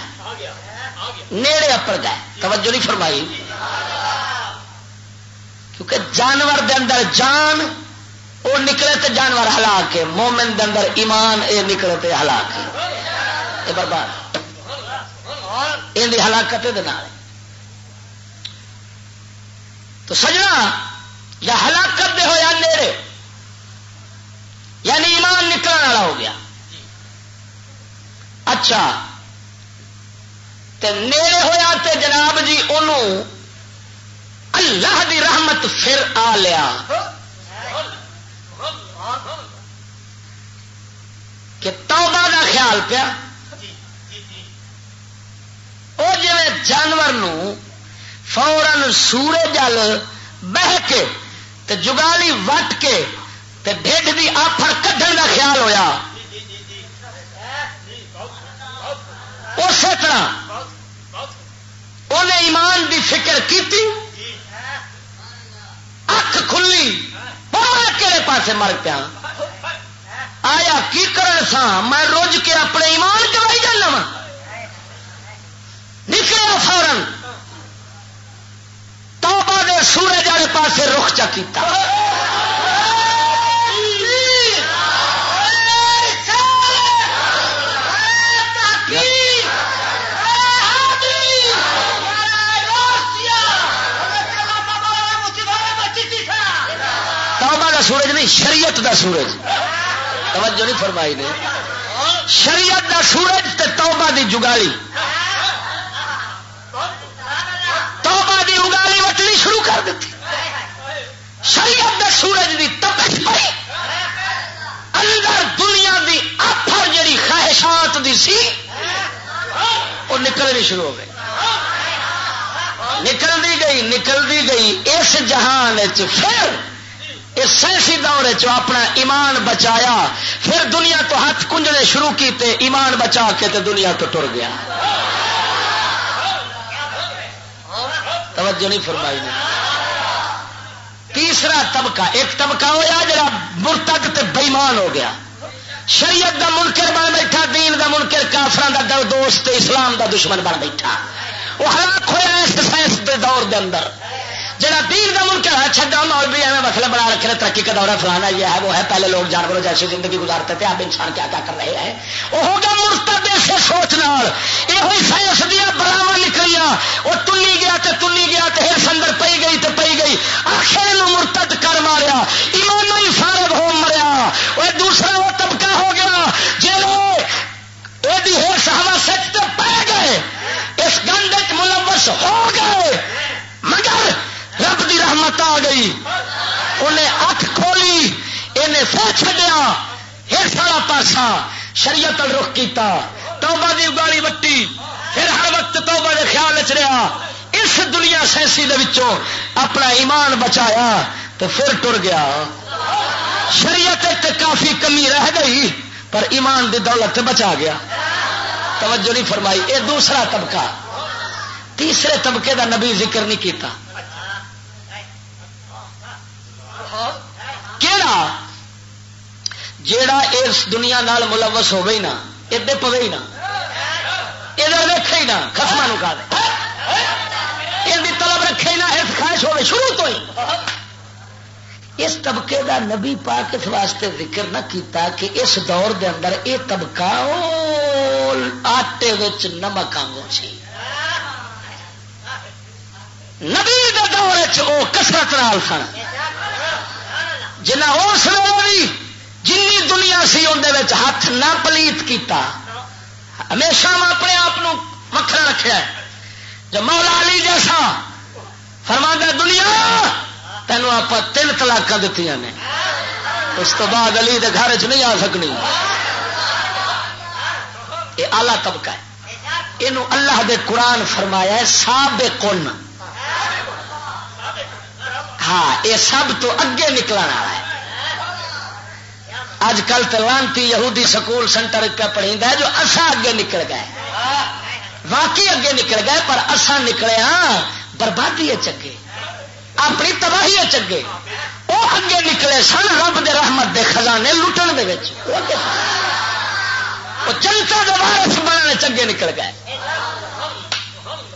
نیڑے اپڑ گئے۔ توجہ نہیں فرمائی، کیونکہ جانور دے اندر جان، وہ نکلے تے جانور ہلاک ہے، مومن دے اندر ایمان، اے نکلے تے ہلاک ہے، اے برباد۔ ان دی ہلاکت دے نال۔ تو سجنا، یا ہلاکت دے ہویا نیڑے، یعنی ایمان نکلن والا ہو گیا۔ اچھا، تے نیڑے ہویا تے جناب جی، اونوں اللہ دی رحمت پھر آ لیا۔ کہ توبہ دا خیال پیا۔ او جویں جانور نو فوراً سورج ال بہ کے تے جگالی وٹ کے تے ڈھڈ دی آفر کڈھن دا خیال ہویا، اسی طرح انہیں ایمان دی فکر کیتی، اکھ کھلی، پتہ کہڑے پاسے مر پیا۔ آیا کی کرن سا، میں رج کے اپنے ایمان گوائی جانا وا۔ نکلیا فوراً، توبہ دے سورج والے پاسے رخ چا کیتا۔ توبہ دا سورج نہیں، شریعت دا سورج۔ توجہ نہیں فرمائی نے۔ شریعت دا سورج تے توبہ دی جگالی۔ توبہ دی اگالی وٹنی شروع کر دیتی۔ شریعت دے سورج دی تپش پئی، اندر دنیا دی آفر جڑی خواہشات دی سی، وہ نکلنی شروع ہو گئی۔ نکلدی گئی، نکلدی گئی۔ اس جہان وچ پھر اس سائنسی دور وچ اپنا ایمان بچایا، پھر دنیا تو ہاتھ کنجنے شروع کیتے، ایمان بچا کے تے دنیا تو ٹر گیا۔ توجہ نہیں فرمائی نے۔ تیسرا طبقہ، ایک طبقہ ہویا جڑا مرتد تے بےمان ہو گیا، شریعت دا منکر بن بیٹھا، دین دا منکر، کافراں دا دو-، دوست، اسلام دا دشمن بن بیٹھا۔ وہ ہلاک ہویا اس سائنس دے دور دے اندر۔ جڑا دین دا منکر ہے، چھڈا مولوی، ایویں مسئلے بنا رکھے نے، ترقی کا دور ہے، فلانا یہ ہے، وہ ہے، پہلے لوگ جانوروں جیسی زندگی گزارتے تھے، اب انسان کیا کیا کر رہے ہیں۔ وہ ہو گیا مرتد اسے سوچ نال۔ یہ ہوئی سائنس دیا بلاواں نکلیاں، وہ تنی گیا تے تنی گیا تے ہرس اندر پئی گئی تے پئی گئی، آخر اینوں مرتد کر ماریا، ایمانوں ہی فارغ ہو مریا۔ وہ دوسرا وہ طبقہ ہو گیا جڑے ایڈی ہرس ہوس وچ تے پے گئے، اس گند وچ ملوث ہو گئے، مگر رب دی رحمت آ گئی، انہیں اکھ کھولی، انہیں پھر چھڈیا۔ ہرس والا پاسا شریعت ال رخ کیتا، توبہ دی اگالی وٹی، پھر ہر وقت توبہ دے خیال وچ رہیا۔ اس دنیا سینسی دے وچوں اپنا ایمان بچایا تے پھر ٹر گیا۔ شریعت وچ تے کافی کمی رہ گئی، پر ایمان دی دولت تے بچا گیا۔ توجہ نہیں فرمائی۔ اے دوسرا طبقہ، تیسرے طبقے دا نبی ذکر نہیں کیتا۔ کیڑا؟ جیڑا اس دنیا نال ملوث ہوے ہی نہ، ادے پوے ہی نہ، ادھر ویکھے ہی نہ، خسماں نوں کہا دے، ان دی طلب رکھے ہی نہ، اس خواہش ہوے شروع تو ہی۔ اس طبقے دا نبی پاک اس واسطے ذکر نہ کیتا کہ اس دور دے اندر اے طبقہ او آٹے وچ نمک آنگوں سی۔ نبی دے دور وچ او کثرت نال سن، جنہاں اس ویلے بھی جنی دنیا سی ان دے وچ ہاتھ نہ پلیت کیتا۔ ہمیشہ میں اپنے آپ نو وکھرا رکھیا ہے۔ جو مولا علی جیسا فرماندا ہے، دنیا تینوں آپ تین طلاقاں دتیاں نے، اس تو بعد علی دے گھر چ نہیں آ سکنی۔ یہ اعلیٰ طبقہ ہے۔ اینو اللہ دے قرآن فرمایا ہے سابقن۔ ہاں، یہ سب تو اگے نکلن والا ہے۔ اج کل تے لانتی یہودی سکول سینٹر پہ پڑھیندا ہے جو اساں اگے نکل گئے، واقعی اگے نکل گئے، پر اساں نکلے ہاں بربادی اچ اگے، اپنی تباہی اچ اگے۔ وہ اگے نکلے سن رب دے رحمت دے خزانے لٹن دے وچ، وہ جنتا دے وارث بننے چ اگے نکل گئے۔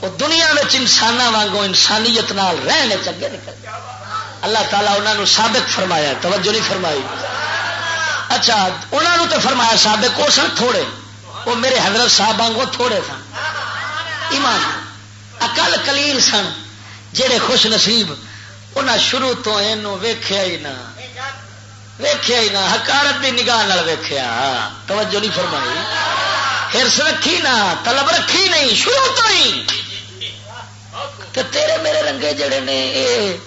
وہ دنیا وچ انساناں وانگوں انسانیت نال رہنے چ اگے نکل گئے۔ اللہ تعالیٰ انہاں نوں سابق فرمایا، توجہ نہیں فرمائی۔ اچھا، انہاں نوں تے فرمایا سابق، وہ سن تھوڑے، وہ میرے حضرت صاحب وانگوں تھوڑے سن۔ ایمان، اقل قلیل سن، جڑے خوش نصیب انہاں شروع تو اینو ویکھیا ہی نہ، ویکھیا ہی نہ، حقارت دی نگاہ نال ویکھیا، توجہ نہیں فرمائی۔ حرص رکھی نہ، طلب رکھی نہیں، شروع تو ہی۔ تے تیرے میرے رنگے جڑے نے، اے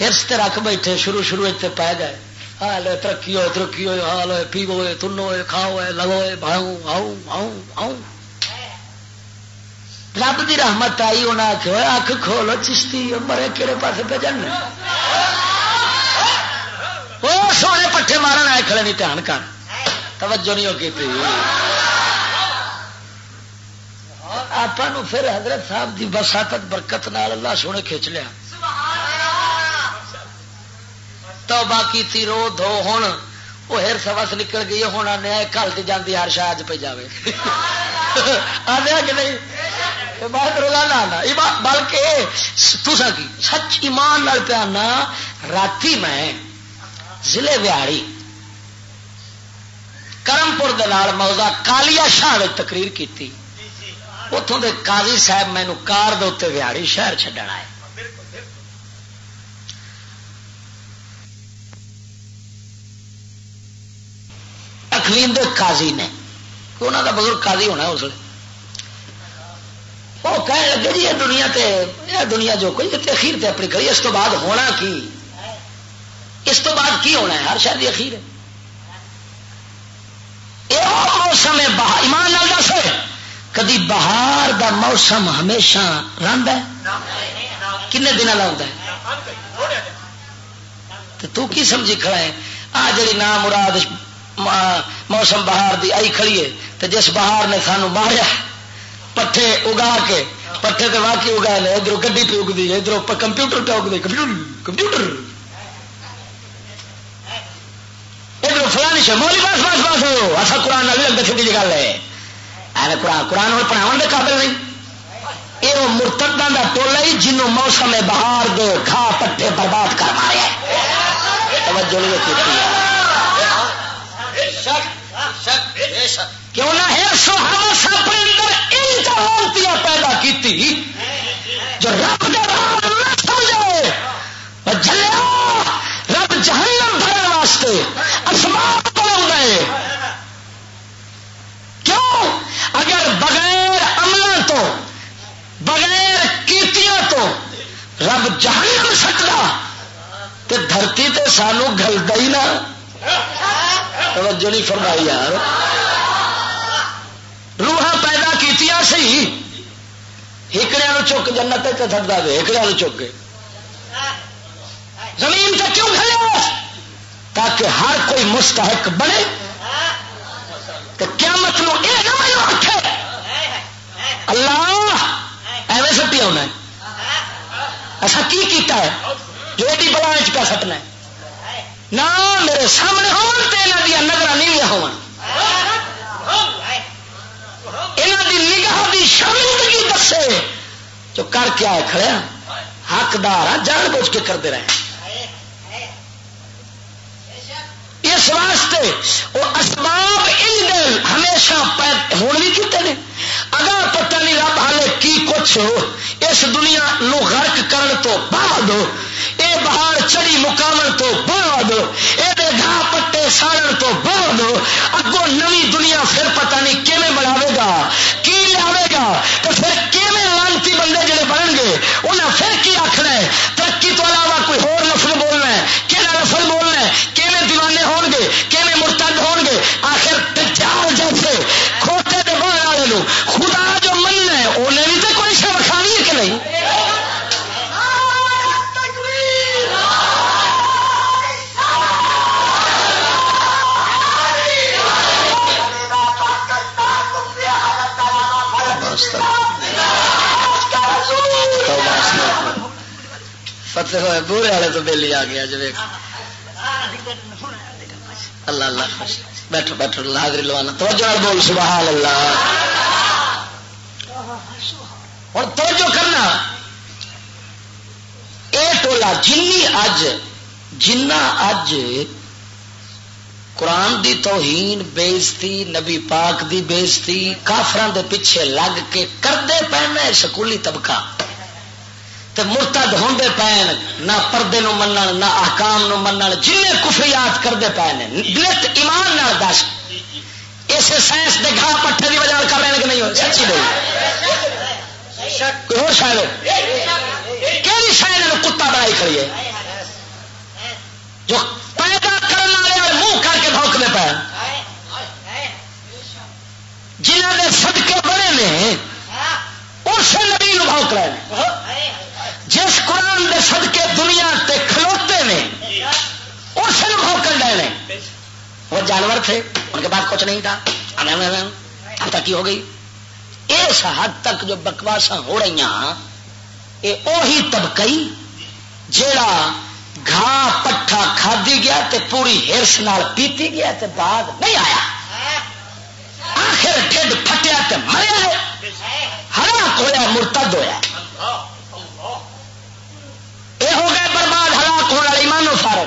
حرص تے رکھ بیٹھے، شروع شروع وچ تے پے گئے۔ حال ہوئے ترقی ہوئے، ترقی ہوئے، حال ہوئے، پیو ہوئے، تنو ہوئے، کھاؤ ہوئے، لگو ہوئے، بھاؤ، ہاؤ، ہاؤ، ہاؤ۔ رب دی رحمت آئی، انہاں آکھیا، "اوئے اکھ کھول، او چشتی، او مرے کیڑے پاسے پہ جانا؟" او سونے پٹھے مارن آئے کھڑے نہیں، دھیان کر، توجہ نہیں ہو کیتی۔ آپاں نوں پھر حضرت صاحب دی وساطت برکت نال اللہ سونے کھچ لیا۔ توبہ کیتی، رو دھو، ہن او ہر سوس نکل گئی ہے، ہن آنے آئے، گھل تے جاندی ہر شاید پہ جاوے۔ آدھے کہ نہیں؟ اے بات روزانہ آنا۔ ایمان، بلکہ تساں کی سچ ایمان نال پیا آنا، راتی میں ضلع ویاڑی کرم پور دے نال موضع کالیا شاہ وچ تقریر کیتی۔ اتھوں دے قاضی صاحب مینوں کار دے اُتے ویاڑی شہر چھڈن آئے۔ اکوین دے قاضی نے، کوئی انہاں دا بزرگ قاضی ہونا اس ویلے۔ وہ کہن لگے، "جی، یہ دنیا تے، یہ دنیا جو کوئی تے اخیر تے اپنی کری، اس تو بعد ہونا کی؟ اس تو بعد کی ہونا ہے؟ ہر شے دی اخیر ہے۔" اے او موسم ہے بہار، ایمان نال دس، کدی بہار دا موسم ہمیشہ رہندا ہے؟ کنے دناں دا ہوندا ہے؟ تے تو کی سمجھی کھڑا ہے؟ آ جڑی نامراد م-، موسم بہار دی آئی کھڑی ہے، تے جس بہار نے سانو ماریا، پٹھے اگا کے، پٹھے تے واقعی اگائے نے، ادھروں گڈی پہ اگدی ہے، ادھروں پ-، کمپیوٹر پہ اگدے، کمپیوٹر، کمپیوٹر۔ ادھر فلانی شے، مولوی، بس، بس، بس، ہو، اسا قرآن نال بھی لگتے، سیدھی جی گل ہے۔ ایویں قرآن، قرآن نال پڑھاون دے قابل نہیں۔ اے او مرتداں دا ٹولہ ہی جنوں موسم بہار دے گھا پٹھے برباد کر ماریا ہے۔ توجہ نہیں کیتی۔ کیوں نہ ہے سو ہر سب اندر ان جہالتیاں پیدا کیتی جو رب دے راہ نہ سمجھے۔ او جھلیا، رب جہنم بھرن واسطے اسباب بناوندا ہے۔ کیوں؟ اگر بغیر عملاں تو، بغیر کیتیاں تو رب جہنم سٹدا، تے دھرتی تے سانو گھلدا ہی نہ۔ توجہ نہیں فرمائی یار۔ روحاں پیدا کیتیاں سی، ہکڑیاں نو چک جنت تے سٹدا وے، ہکڑیاں نو چک کے۔ زمین تے کیوں گھلیا؟ تاکہ ہر کوئی مستحق بنے۔ تے قیامت نو اے نہ مینوں آکھے، "اللہ، ایویں سٹیا ہونا ہے، اسا کی کیتا ہے جو ایڈی بلا وچ پیا سٹنا ہے؟" نہ، میرے سامنے ہون تے انہاں دیاں نظراں نیویاں ہون، انہاں دی نگاہ دی شرمندگی دسے جو کر کے آئے کھڑے ہاں، حقدار ہاں، جان بوجھ کے کردے رہے۔ اس واسطے وہ اسباب ان دے ہمیشہ پید-، ہون بھی کیتے نے۔ اگاں پتہ نہیں رب حالے کی کچھ اس دنیا نو غرق کرن تو بعد، اے بہار چڑھی مکاون تو بعد، اے دے گھا پٹے ساڑن تو بعد، اگوں نوی دنیا پھر پتہ نہیں کیویں بناوے گا، کی لیاوے گا، تے پھر کیویں لعنتی بندے جڑے بنن گے، انہاں پھر کی آکھنا ہے؟ ترقی تو علاوہ کوئی ہور لفظ بولنا ہے، کہڑا لفظ بولنا ہے؟ کیویں دیوانے ہون گے، کیویں مرتد ہون گے؟ آخر دجال جیسے کھوتے دے باہر والے نو خدا جو مننا ہے، انہیں بھی تو کوئی شے وکھانی ہے کہ نہیں؟ فتح ہوئے بورے والے تو بیلی آ گیا جی، ویکھ۔ اللہ، اللہ خوش۔ بیٹھو، بیٹھو، اللہ حاضری لوانا۔ توجہ نال بول، سبحان اللہ۔ ہن توجہ کرنا، اے ٹولا جنی اج، جنہ اج قرآن دی توہین، بے عزتی، نبی پاک دی بے عزتی، کافراں دے پیچھے لگ کے کردے پے نے سکولی طبقہ۔ تے مرتد ہوندے پئے نے، نہ پردے نو منن، نہ احکام نو منن، جنہیں کفریات کردے پئے نے، نت ایمان نال دس۔ اسے سائنس دے گھا پٹھے دی وجہ نال کر رہے ہیں کہ نہیں ہوئے؟ سچی بول۔ کوئی ہور شاید ہو؟ کیڑی شاید نو کتا بنائی کھڑی ہے؟ جو پیدا کرن والے اور منہ کر کے بھونکنے پئے، جنہاں دے صدقے بڑے نے، اسے نبی نو بھونک رہے نے۔ جس قرآن دے صدقے دنیا تے کھلوتے نے، اسے نو بھونکن رہے نے۔ وہ جانور تھے، ان کے پاس کچھ نہیں تھا، اب تک کی ہو گئی۔ اس حد تک جو بکواساں ہو رہی ہیں، یہ اوہی طبقہ ہی جیڑا گھا پٹھا کھادی گیا تے پوری ہرس نال پیتی گیا تے باز نہیں آیا۔ آخر ڈھڈ پھٹیا تے مریا ہے، ہلاک ہویا، مرتد ہویا۔ یہ ہو گئے برباد، ہلاک ہونے والے، ایمان و فارغ۔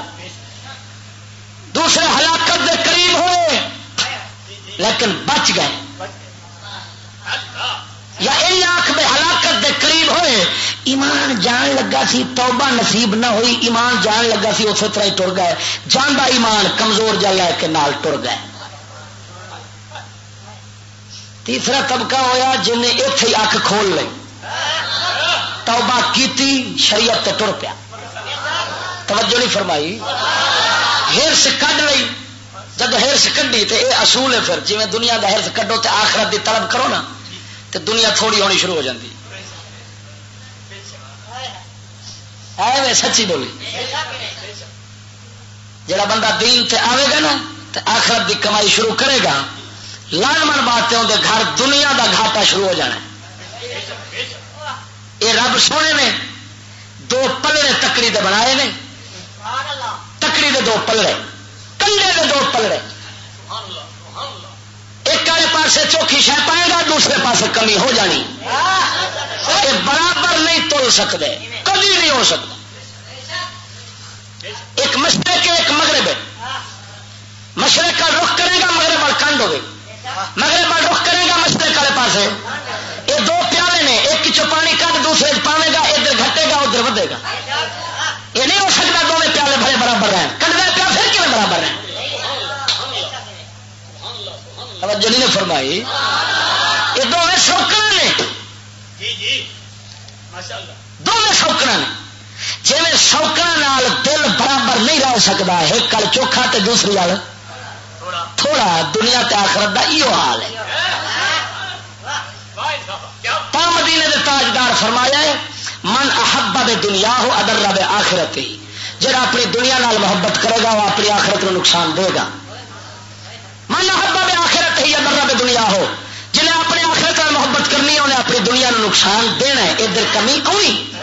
دوسرے ہلاکت دے قریب ہوئے لیکن بچ گئے۔ یا یہ آخ میں ہلاکت دے قریب ہوئے، ایمان جان لگا سی، توبہ نصیب نہ ہوئی، ایمان جان لگا سی، اسی طرح ہی ٹر گئے۔ جاندا ایمان کمزور جا لے کے نال ٹر گئے۔ تیسرا طبقہ ہویا جن نے ایتھے ہی اکھ کھول لئی، توبہ کیتی، شریعت تے ٹر پیا۔ توجہ نہیں فرمائی، ہرس کڈ لئی۔ جب ہرس کڈی تے اے اصول ہے، پھر جویں دنیا دا ہرس کڈو تے آخرت دی طلب کرو نا، تے دنیا تھوڑی ہونی شروع ہو جاندی۔ ایویں سچی بولی۔ جڑا بندہ دین تے آوے گا نا، تے آخرت دی کمائی شروع کرے گا، لازمن بات تے اوندے گھر دنیا دا گھاٹا شروع ہو جانا ہے۔ اے رب سونے نے دو پلڑے تکڑی دے بنائے نے، تکڑی دے دو پلڑے، کنڈے دے دو پلڑے۔ ایک والے پاسے چوکھی شے پائے گا، دوسرے پاسے کمی ہو جانی۔ یہ برابر نہیں تل سکتے، کبھی نہیں ہو سکتا۔ ایک مشرق ہے، ایک مغرب ہے۔ مشرق کا رخ کرے گا، مغرب وال کنڈ ہوگی۔ مغرب وال رخ کرے گا، مشرق والے پاسے۔ یہ دو پیالے نے، ایک چ پانی کڈ دوسرے چ پاوے گا، ادھر گھٹے گا، ادھر ودے گا۔ یہ نہیں ہو سکتا دونوں پیالے بھرے برابر رہن۔ کنڈ دے پیا پھر کیوں برابر رہن؟ توجہ نہیں نے فرمائی۔ یہ دونوں سوکڑا نے، دونوں سوکڑا نے۔ جیویں سوکڑا نال دل برابر نہیں رہ سکتا، ایک کل چوکھا تے دوسری وال تھوڑا، دنیا تے آخرت دا ایہو حال ہے۔ پا مدینے دے تاجدار فرمایا ہے، من احب بے دنیا ہو ادر بے آخرت ہی، جڑا اپنی دنیا نال محبت کرے گا، وہ اپنی آخرت نو نقصان دے گا۔ من احب بے آخرت ہی ادر بے دنیا ہو، جنہیں اپنی آخرت نال محبت کرنی ہے، انہیں اپنی دنیا نو نقصان دینا ہے، ادھر کمی آنی۔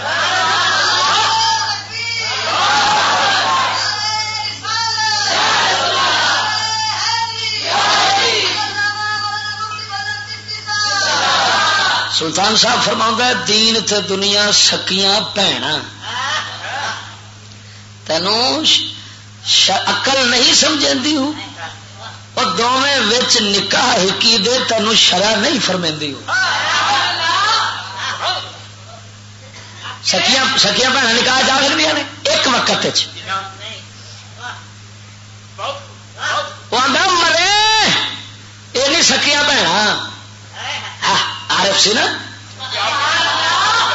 سلطان صاحب فرماؤں ہے، دین تے دنیا سکیاں بھیناں۔ تینوں ش-، ش-، عقل نہیں سمجھاندی ہو؟ او دوویں وچ نکاح ہکی دے، تینوں شرع نہیں فرمیندی ہو؟ سکیاں، سکیاں بھیناں نکاح جا سکدیاں نے ایک وقت وچ؟ وہ آندا، "مرے، یہ نہیں سکیاں بھیناں۔" ہاں، عارف سی نا؟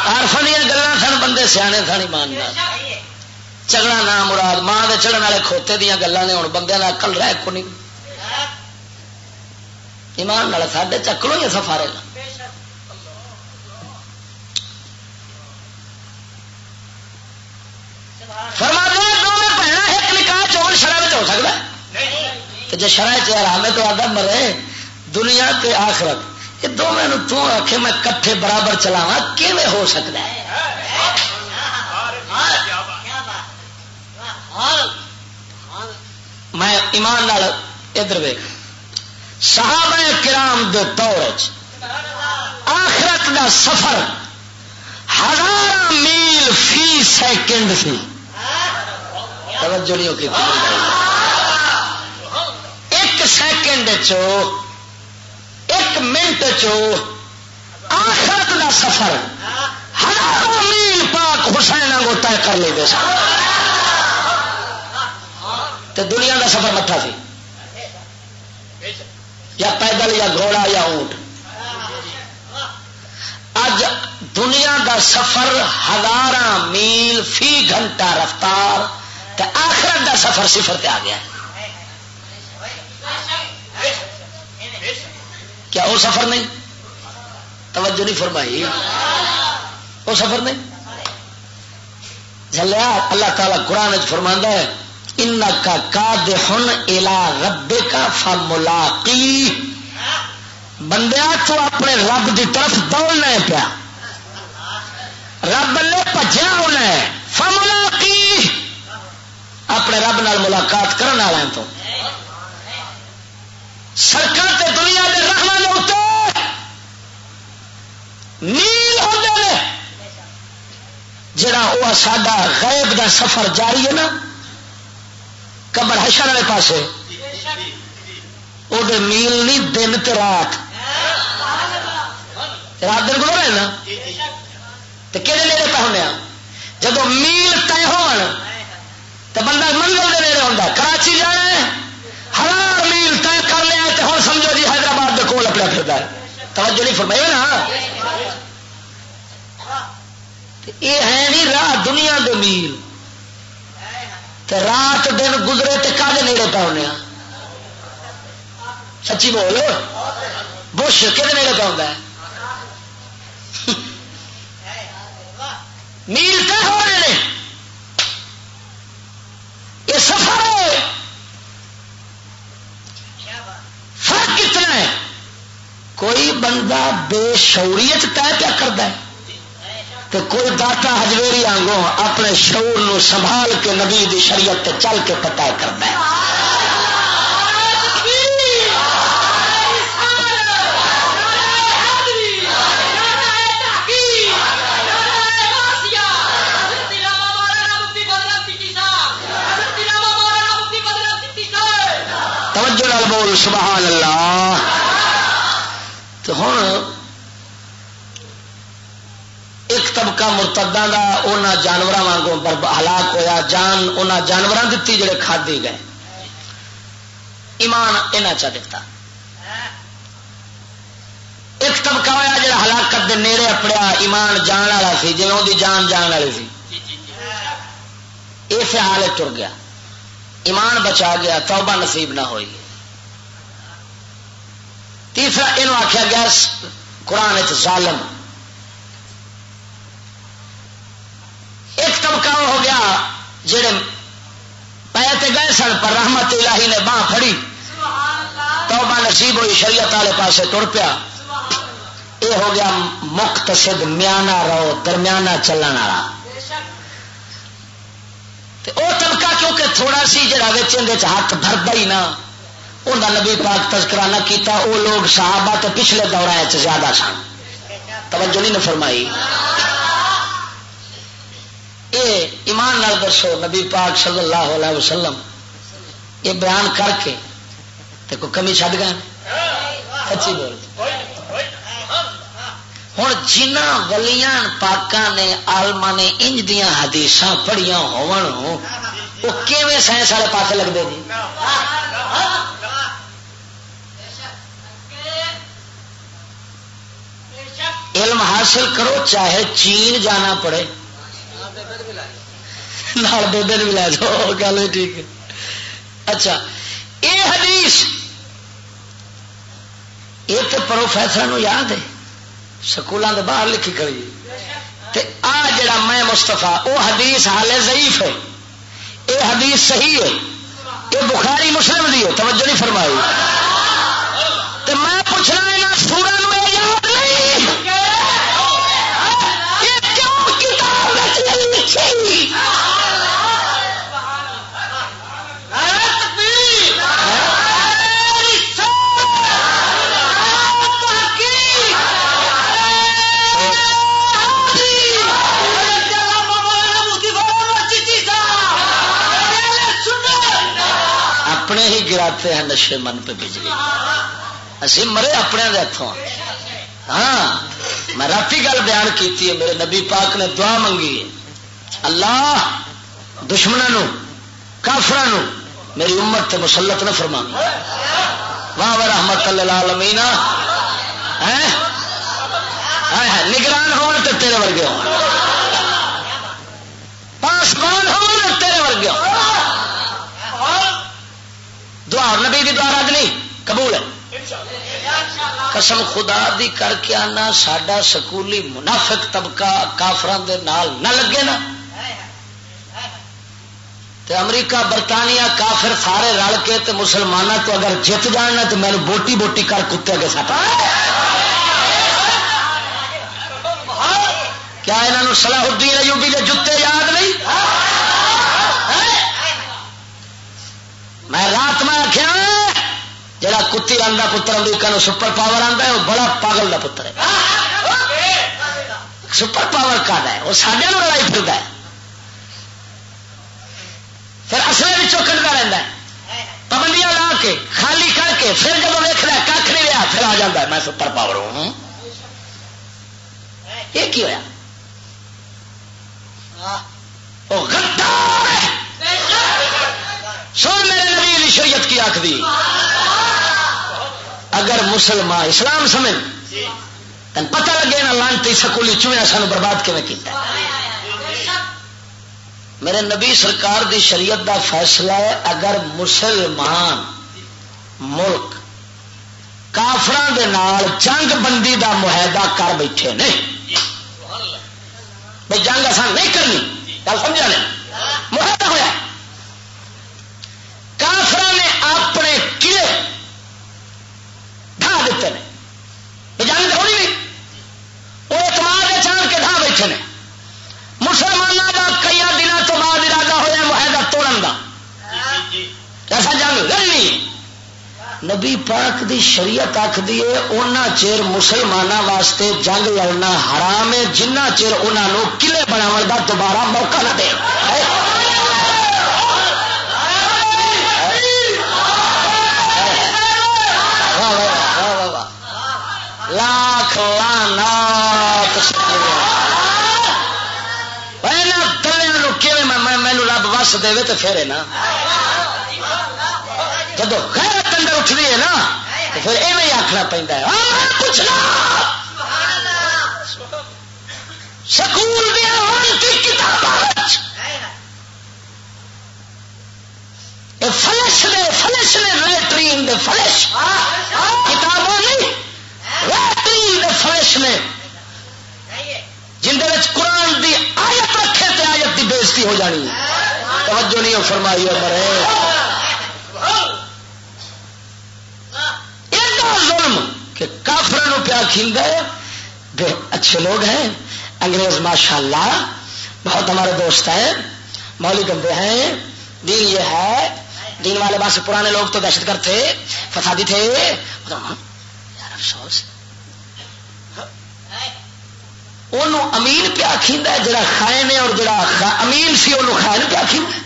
عارفاں دیاں گلاں سن، بندے سیانے سن، ایماندار۔ چگڑا نام مراد، ماں دے چڑھن والے کھوتے دیاں گلاں نے، ہن بندیاں دا عقل رہ کو نہیں۔ ایمان نال، ساڈے چکلوں ہی اساں فارغ ہاں۔ فرما دے، دونوں بھیناں ایک نکاح چ ہون، شرع وچ ہو سکدا ہے؟ تے جے شرع چ حرام ہے تو آدھا مرے، دنیا تے آخرت، یہ دونوں نو تو آکھے میں کٹھے برابر چلاواں، کیویں ہو سکدا ہے؟ میں ایمان نال ادھر ویکھ، صحابہ کرام دے دور وچ آخرت دا سفر ہزاراں میل فی سیکنڈ سی۔ توجہ نہیں کی۔ ایک سیکنڈ چو، ایک منٹ چو آخرت دا سفر ہزاراں میل پاک حسین وانگو طے کر لیندے سن۔ تے دنیا دا سفر مٹھا سی، یا پیدل، یا گھوڑا، یا اونٹ۔ اج دنیا دا سفر ہزاراں میل فی گھنٹہ رفتار، تے آخرت دا سفر صفر تے آ گیا۔ کیا وہ سفر نہیں؟ توجہ نہیں فرمائی۔ وہ سفر نہیں؟ جھلیا، اللہ تعالیٰ قرآن وچ فرماندا ہے، "انک کادح الی ربک فملاقیہ۔" بندیا، تو اپنے رب دی طرف دوڑنا ہے پیا، رب لے بھجیا ہونا ہے، فملاقیہ، اپنے رب نال ملاقات کرن والا ہے تو۔ سڑکاں تے دنیا دے راہواں دے اُتے میل ہوندے نے، جڑا او ساڈا غیب دا سفر جاری ہے نا، قبر حشر والے پاسے، او دے میل نہیں، دن تے رات۔ رات دن گزر ہے نا، تے کہڑے نیڑے پہ ہونے آ؟ جدوں میل طے ہون، تے بندہ منزل دے نیڑے ہوندا ہے۔ کراچی جانا ہے، ہزار میل طے کر لیا ہے، تے ہن سمجھو جی حیدرآباد دے کول اپنا پھردا ہے۔ توجہ نہیں فرمائی نا؟ تے اے ہے نہیں راہ دنیا دے میل۔ تے رات دن گزرے تے کدے نیڑے پہ ہونے آ؟ سچی بول، بش کدے نیڑے پہ ہوندا ہے؟ میل طے ہو رہے ہیں، یہ سفر ہے۔ فرق کتنا ہے؟ کوئی بندہ بے شعوریت طے پیا کردا ہے، تے کوئی داتا ہجویری آنگوں اپنے شعور نو سنبھال کے نبی دی شریعت تے چل کے پتہ کردا ہے۔ توجہ نال بول، سبحان اللہ۔ تو ہن ایک طبقہ مرتداں دا انہاں جانوراں وانگوں برب-، ہلاک ہویا، جان انہاں جانوراں دتی جڑے کھادے گئے، ایمان انہاں چا دتا۔ ایک طبقہ ہویا جڑا ہلاکت دے نیڑے اپڑیا، ایمان جان والا سی، جویں اودی جان جان والی سی، ایسے حال وچ ٹر گیا، ایمان بچا گیا، توبہ نصیب نہ ہوئی۔ تیسرا اینو آکھیا گیا س-، قرآن وچ ظالم۔ ایک طبقہ وہ ہو گیا جڑے پے تے گئے سن، پر رحمت الہی نے باہ پھڑی، توبہ نصیب ہوئی، شریعت والے پاسے ٹر پیا۔ یہ ہو گیا مقتصد، میانہ رو، درمیانہ چلن والا۔ تے او طبقہ کیونکہ تھوڑا سی جڑا وچ اندے وچ ہاتھ بھردا ہی نہ، اوندا نبی پاک تذکرہ نہ کیتا۔ او لوگ صحابہ تے پچھلے دوراں وچ زیادہ سن، توجہ نہیں نہ فرمائی۔ اے ایمان نال دسو، نبی پاک صلی اللہ علیہ وسلم یہ بیان کر کے تے کوئی کمی چھڈ گئے؟ سچی بول۔ ہن جنہاں ولیاں پاکاں نے، عالماں نے انج دیاں حدیثاں پڑھیاں ہون، وہ کیویں سائنس والے پاسے لگدے جی؟ علم حاصل کرو، چاہے چین جانا پڑے۔ نال بیبے نوں بھی لے جاؤ، گل بھی ٹھیک ہے۔ اچھا، یہ حدیث، یہ تو پروفیسر نو یاد ہے، سکولاں دے باہر لکھی کھڑی۔ تے آ جڑا میں مصطفیٰ، او حدیث حالے ضعیف ہے، اے حدیث صحیح ہے، اے بخاری مسلم دی ہے، توجہ نہیں فرمائی۔ تے میں پوچھنا، انہاں سوراں نوں اے یاد نہیں؟ اے کیوں کتاب وچ نہیں لکھی؟ نعرہ تکبیر! نعرہ رسالت! نعرہ تحقیق! نعرہ حیدری! حضرت علامہ مولانا مفتی غلام نبی چشتی صاحب! نعرہ سنت! اپنے ہی گراتے ہیں نشے من پہ بجلی۔ اسی مرے اپنے دے ہتھوں۔ ہاں، میں راتی گل بیان کیتی ہے، میرے نبی پاک نے دعا منگی ہے۔ اللہ دشمناں نو، کافراں نو میری امت تے مسلط نہ فرماوی۔ واہ واہ، رحمت للعالمین۔ ہیں؟ ہائے ہائے، نگران ہون تے تیرے ورگے ہون، پاسبان ہون تے تیرے ورگے ہون۔ دعا، نبی دی دعا رد نہیں، قبول ہے۔ قسم خدا دی کر کے آنا، ساڈا سکولی منافق طبقہ کافراں دے نال نہ لگے نا، تے امریکہ، برطانیہ، کافر سارے رل کے تے مسلماناں تو اگر جت جان نا، تے مینوں بوٹی بوٹی کر کتے اگے سٹ۔ کیا انہاں نوں صلاح الدین ایوبی دے جتے یاد نہیں؟ میں رات میں آخیا، جڑا کتی رن دا پتر امریکہ نو سپر پاور آندا ہے، وہ بڑا پاگل دا پتر ہے۔ سپر پاور کا ہے؟ وہ ساڈے نو لڑائی پھردا ہے، پھر اصلے وچوں کڈدا رہندا ہے، پابندیاں لا کے، خالی کر کے، پھر جب ویکھدا ہے ککھ نہیں رہا، پھر آ جاندا ہے، میں سپر پاور ہوں۔ یہ کی ہویا؟ او غدار ہے۔ سن، میرے نبی دی شریعت کی آخری، اگر مسلمان اسلام سمجھ، تن پتہ لگے نا، لانتی سکولی چوہے سانو برباد کیویں کیتا۔ میرے نبی سرکار دی شریعت دا فیصلہ ہے، اگر مسلمان ملک کافراں دے نال جنگ بندی دا معاہدہ کر بیٹھے نے، بھئی جنگ اساں نہیں کرنی، گل سمجھا نے؟ معاہدہ ہویا، کافراں نے اپنے قلعے ڈھا دیتے نے، بھئی جنگ تے ہونی نہیں، وہ اعتماد دے چاند کے ڈھا بیٹھے نے۔ مسلمانوں دا کئی دنوں تو بعد ارادہ ہویا معاہدہ توڑن دا، کہ اساں جنگ لڑنی ہے۔ نبی پاک دی شریعت آکھدی ہے، اونا چیر مسلماناں واسطے جنگ لڑنا حرام ہے، جنہ چیر انہاں نوں قلعے بناون دا دوبارہ موقع نہ دے۔ واہ، واہ، واہ، واہ، واہ۔ لاکھ لعنات۔ اے نہ دلیاں نوں کیویں میں، میں، مینوں رب وس دے تے پھر ہے نا۔ جدوں غیرت اندر اٹھدی ہے نا، تے پھر ایویں ہی آکھنا پیندا ہے، "آ، میں پچھنا۔" سکول دیاں لعنتی کتاباں وچ اے فلش دے، فلش نے، لیٹرین دے فلش۔ کتاباں نہیں، لیٹرین دے فلش نے، جن دے وچ قرآن دی آیت رکھے تے آیت دی بے عزتی ہو جانی ہے۔ توجہ نہیں ہو فرمائی ہے مرے۔ ایڈا ظلم کہ کافراں نوں پیا کھیندا ہے۔ بے-، اچھے لوگ ہیں، انگریز ماشاءاللہ بہت ہمارے دوست ہیں، مولوی گندے ہیں، دین یہ ہے، دین والے بس پرانے لوگ تو دہشت گرد تھے، فسادی تھے۔ یار افسوس، انہوں امین پیا کھیندا ہے، جڑا خائن ہے، اور جڑا خا-، امین سی، انہوں خائن پیا کھیندا ہے۔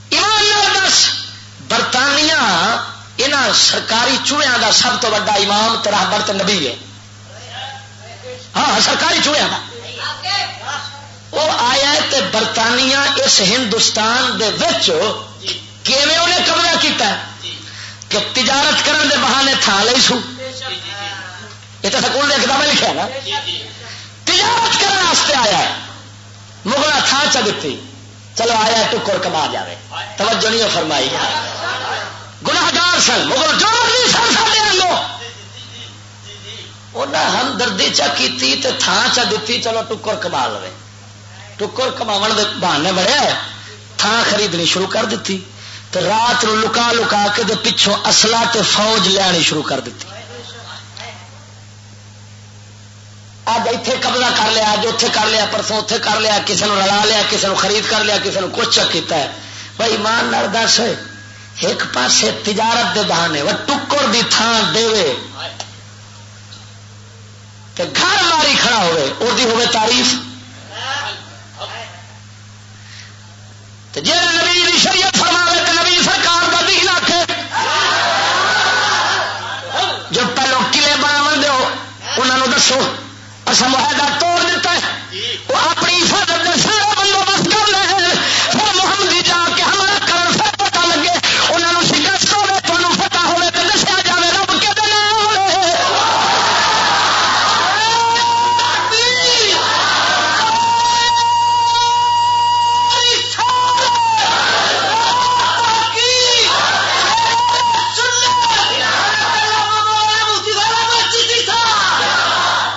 ایمان نال دس، برطانیہ انہاں سرکاری چوہیاں دا سب تو وڈا امام تے رہبر تے نبی ہے۔ ہاں، سرکاری چوہیاں دا۔ وہ آیا ہے تے برطانیہ اس ہندوستان دے وچ کیویں انہیں قبضہ کیتا ہے کہ تجارت کرن دے بہانے تھان لئی سو۔ یہ تو سکول دے کتابیں لکھیا نا۔ تجارت کرن واسطے آیا ہے، مغل تھان چا دتی، چلو آیا ہے ٹکر کما جاوے۔ توجہ نہیں فرمائی۔ گناہگار سن مغل، جو بھی سن ساڈے وانگو۔ انہاں ہمدردی چا کیتی تے تھان چا دتی، چلو ٹکر کما لوے۔ ٹکر کماون دے بہانے بڑے، تھان خریدنی شروع کر دتی تے رات نو لکا لکا کے دے پچھوں اصلا تے فوج لیانی شروع کر دتی۔ اج ایتھے قبضہ کر لیا، اج اوتھے کر لیا، پرسوں اوتھے کر لیا، کسے نو رلا لیا، کسے نو خرید کر لیا، کسے نو کچھ چا کیتا ہے۔ بھائی ایمان نال دس، ایک پاسے تجارت دے بہانے، وہ ٹکر دی تھان دے وے تے گھر ماری کھڑا ہوئے، او دی ہوئے تعریف۔ تے جے نبی دی شریعت فرماوے تے نبی سرکار دا دین آکھے، جو پہلو قلعے بناون دیو، انہاں نوں دسو۔ اساں معاہدہ توڑ دتا ہے۔ وہ اپنی حفاظت دے سارے بندوبست کر لے۔ پھر محمدی جا کے حملہ کرن، پھر پتہ لگے، انہاں نوں شکست ہوے، تانوں فتح ہوے، تے دسیا جاوے رب کدے نال ہے۔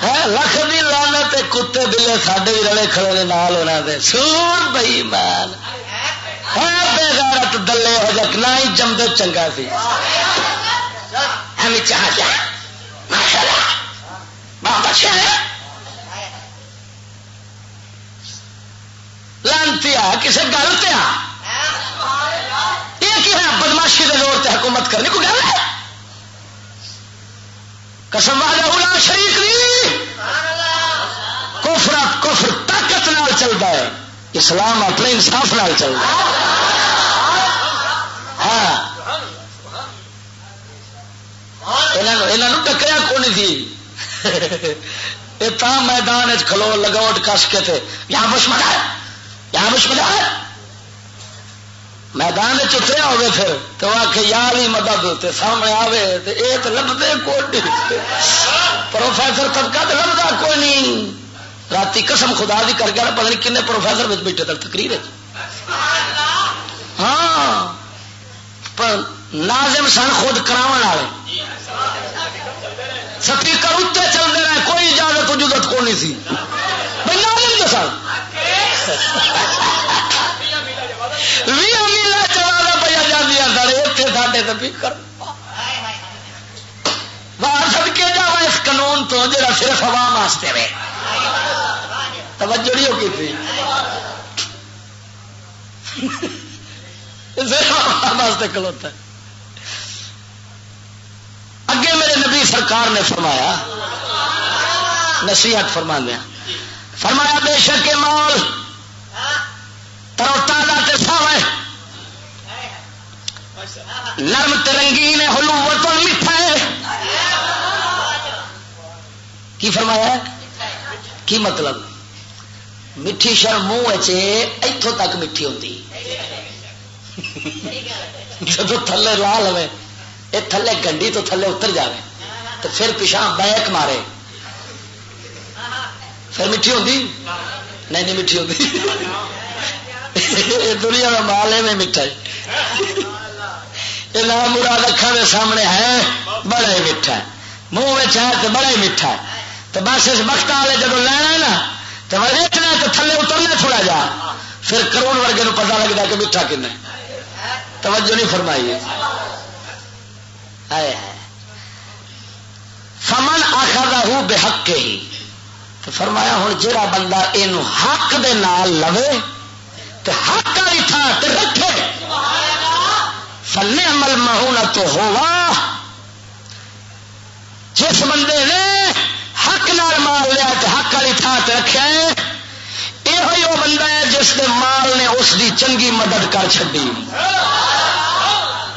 ہے، لکھ دی لعنت تے کتے بلے ساڈے وی رلے کھڑے نے نال انہاں دے۔ سور بے ایمان۔ ہے بے غیرت دلے ہو جا، نہ ہی جمدے چنگا سی۔ ایویں چاہ جا۔ ماشاءاللہ۔ بہت اچھا ہے۔ لعنتی آ، کسے گل تے آ۔ یہ کی ہے؟ بدمعاشی دے زور تے حکومت کرنی کوئی گل ہے؟ قسم وحدہ لا شریک دی۔ کفر، کفر طاقت نال چلدا ہے، اسلام اپنے انصاف نال چلدا ہے۔ ہاں، انہاں نوں، انہاں نوں ٹکریا کون سی؟ یہ تاں میدان وچ کھلو، لگوٹ کس کے تے، یا مشمدار، یا مشمدار۔ میدان وچ اتریا ہوئے پھر، تے وہ آکھے، "یا علی مدد"، تے سامنے آوے، تے اے تے لبھدے کوئی نہیں۔ پروفیسر طبقہ تے لبھدا کوئی نہیں۔ راتی قسم خدا دی کر گیا، پتہ نہیں کنے پروفیسر وچ بیٹھے تک تقریر ہے۔ ہاں، پر ناظم سن خود کراون والے۔ سپیکر اتنے چلتے رہے، کوئی اجازت اجازت کو نہیں سی۔ بھئی ناظم تو سن۔ وی امیلا چلا دا پیا جاندیاں سن، اتنے ساڈے سپیکر۔ واہ، صدقے جاواں اس قانون تو جڑا صرف عوام واسطے وے۔ توجہ نہیں ہو کی تھی۔ صرف عوام واسطے کھلوتا ہے۔ اگے میرے نبی سرکار نے فرمایا، نصیحت فرماندے ہیں، فرمایا، "بے شک یہ مال تر و تازہ تے ساوا ہے، نرم تے رنگین ہے، حلوۃ میٹھا ہے۔" کی فرمایا ہے؟ کی مطلب؟ مٹھی شر منہ وچ ایتھوں تک مٹھی ہوندی، جدوں تھلے لا لوے، اے تھلے گنڈی تو تھلے اتر جاوے، تو پھر پچھاں بیک مارے، پھر مٹھی ہوندی؟ نہیں، نہیں مٹھی ہوندی۔ اے دنیا دا مال ایویں مٹھا ہے۔ اے نام مراد اکھاں دے سامنے ہے، بڑا ہی مٹھا ہے۔ منہ وچ ہے تے بڑا ہی مٹھا ہے۔ تے بس اس وقت والے جدوں لینا ہے نا، تے ویچنا ہے تے تھلے اترنا تھوڑا جا، پھر قارون ورگے نوں پتہ لگدا کہ مٹھا کنا ہے۔ توجہ نہیں فرمائی۔ ہائے ہائے۔ فمن اخذہ بحقہ، تو فرمایا ہن جڑا بندہ اینو حق دے نال لوے تے حق والی تھاں تے رکھے، فنعم المعونۃ ہوا، جس بندے نے حق نال مال لیا تے حق والی تھاں تے رکھیا ہے، ایہو ہی او بندہ ہے جس دے مال نے اس دی چنگی مدد کر چھڈی۔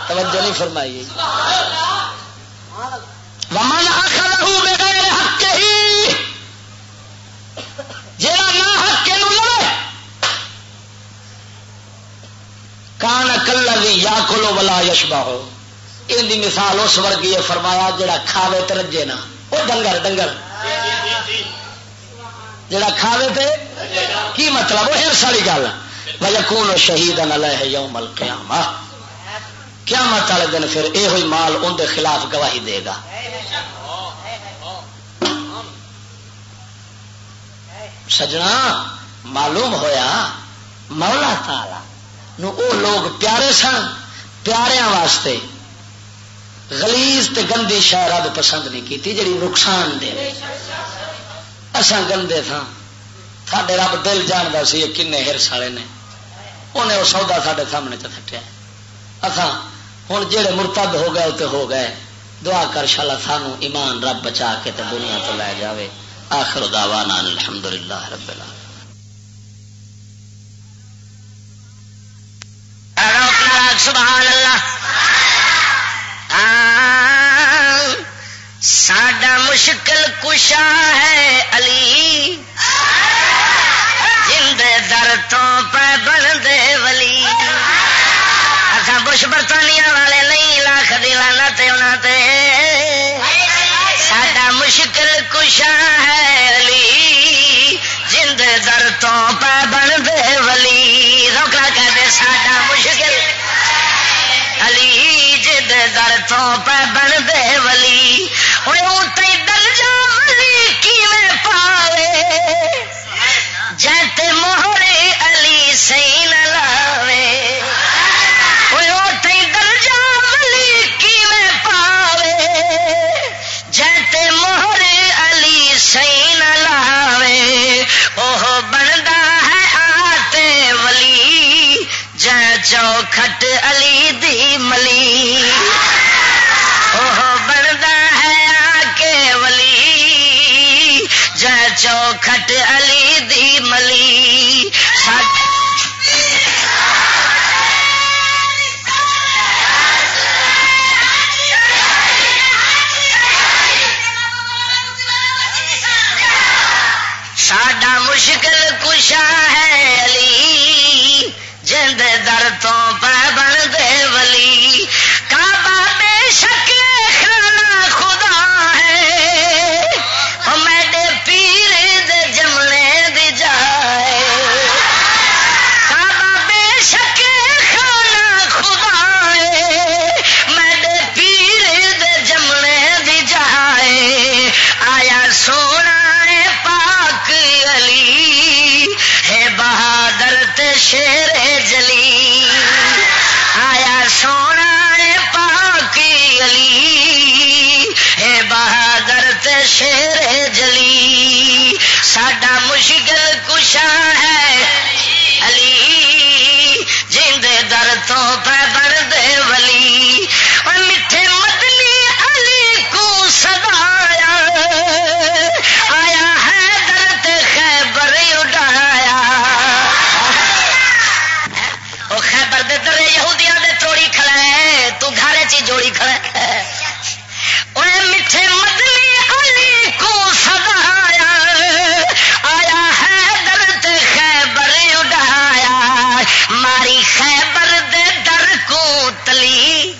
توجہ نہیں فرمائی۔ ومن اخذہ بغیر حقہ، جیڑا نہ حق نو لے، کان کلذی یاکل ولا یشبع، ان دی مثال اس ورگی ہے، فرمایا، جڑا کھاوے تے رجے نہ۔ او ڈنگر، ڈنگر، جڑا کھاوے تے، کی مطلب؟ وہ حرص والی گل۔ ویکون شہیدا علیہ یوم القیامہ، قیامت والے دن پھر یہ ہوئی مال ان دے خلاف گواہی دے گا۔ سجنا، معلوم ہویا، مولا تعالی نو او لوگ پیارے سن، پیاریاں واسطے غلیظ تے گندی شے رب پسند نہیں کیتی، جڑی نقصان دے۔ اساں گندے تھاں، ساڈے رب دل جاندا سی، یہ کنے حرص والے نے، انہیں وہ سودا ساڈے سامنے چ سٹیا۔ اساں ہن جڑے مرتد ہو گئے، او تے ہو گئے۔ دعا کر شالا سانو ایمان رب بچا کے تے دنیا تو لے جاوے۔ آخر دعوانا ان الحمدللہ رب العالمین۔ سبحان اللہ۔ ہاں، ساڈا مشکل کشا ہے علی، جندے در تو پہ بندے ولی۔ اساں بش برطانیہ والے نہیں، لاکھ دی لعنت انہاں تے۔ ساڈا مشکل کشا ہے علی، جندے در تو پہ بندے ولی۔ روکا کہتے ساڈا مشکل علی، جندے در تو پہ بندے ولی۔ اوئے اوں تئیں درجہ ولی کیویں پاوے، جے تے مہر علی سائیں نہ لاوے۔ اوئے اوں تئیں درجہ ولی کیویں پاوے، جے تے مہر علی سائیں نہ لاوے۔ اوہ بندا ہے آتے ولی، جے چوکھٹ علی دی ملی۔ اوہ بندا ہے آ کے ولی، جے چوکھٹ علی دی ملی۔ ساڈا ساڈا مشکل کشا ہے علی، جند در تو پہ بن دے ولی۔ کعبہ بے شک خانہ خدا ہے، او میڈے پیر دے جمنے دی جائے۔ کعبہ بے شک خانہ خدا ہے، میڈے پیر دے جمنے دی جائے۔ آیا سونا ہے پاک علی، ہے بہادر تے شیر جلی۔ آیا سونا ہے پاک علی، ہے بہادر تے شیر جلی۔ ساڈا مشکل کشا ہے علی، جیندے در تو پہ بن دے ولی۔ اور میٹھے مدنی علی کو سدایا، آیا حیدر تے خیبر اڈایا۔ او خیبر دے درے یہودیاں دے توڑی کھڑا ہے، تو گھر چ ہی جوڑی کھڑا ہے۔ اوے میٹھے مدنی علی کو سدایا، آیا حیدر تے خیبر اڈایا۔ ماری خیبر دے در کو تلی،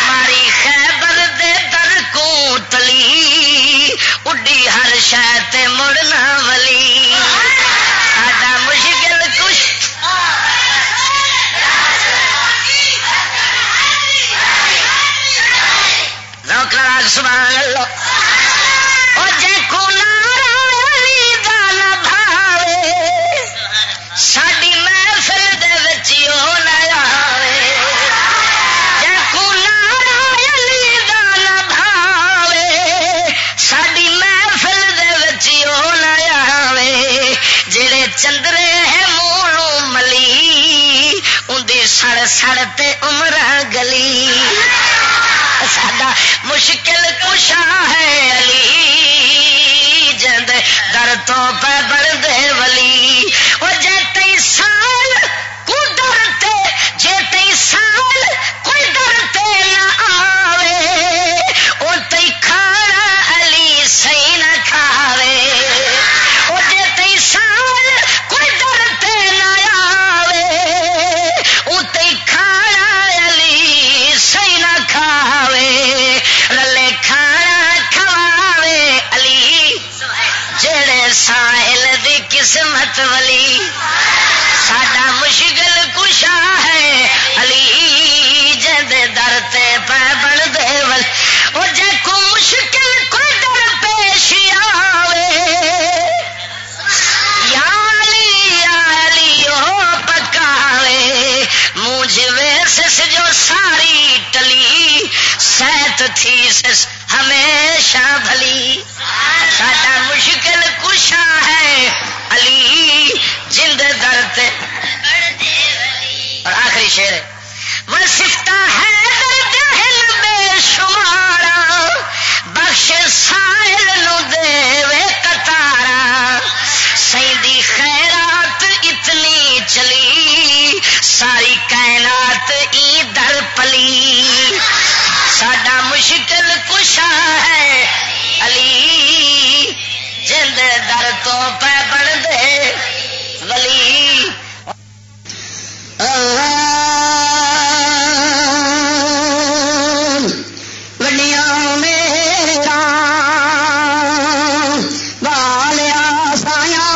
ماری خیبر دے در کو تلی، اڈی ہر شے تے مڑنا ولی۔ ساڈا مشکل کش ذوق لگا سبحان اللہ۔ او جے کو نعرہ علی دا نہ بھاوے، ساڈی محفل دے وچ او نہ آوے۔ جے کو نعرہ علی دا نہ بھاوے، ساڈی محفل دے وچ او نہ آوے۔ جڑے چندرے ہے منہ نوں ملی، اوندی سڑ سڑ تے عمراں گلی۔ ساڈا مشکل کشا ہے علی، جیندے در تو پہ بن دے ولی۔ او جے تئی سال کو در تے، جے تئی سال کوئی در تے نہ آوے، او تئی کھانا علی سائیں نہ کھاوے۔ او جے تئی سال کوئی در تے نہ آوے، او تئی کھانا علی سائیں نہ کھاوے۔ رلے کھانا کھواوے علی، جڑے سائل دی قسمت ولی۔ ساڈا مشکل کشا ہے علی، جیندے در تے پہ بن دے ولی۔ او جے کو مشکل کوئی در پیش آوے، یا علی، یا علی، او پکاوے۔ مونجھ ویسس جو ساری ٹلی، سیت تھیسس ہمیشہ بھلی۔ ساڈا مشکل کشا ہے علی، جیندے در تے۔ اور آخری شعر ہے، وہ سفتا ہے درد ہن بے شمارا، بخش سائل نو دے وے قطارا۔ سائیں دی خیرات اتنی چلی، ساری کائنات ای در پلی۔ ساڈا مشکل کشا ہے علی، تو پہ بن دے ولی۔ آ، وڈیاں میراں والیا سایاں،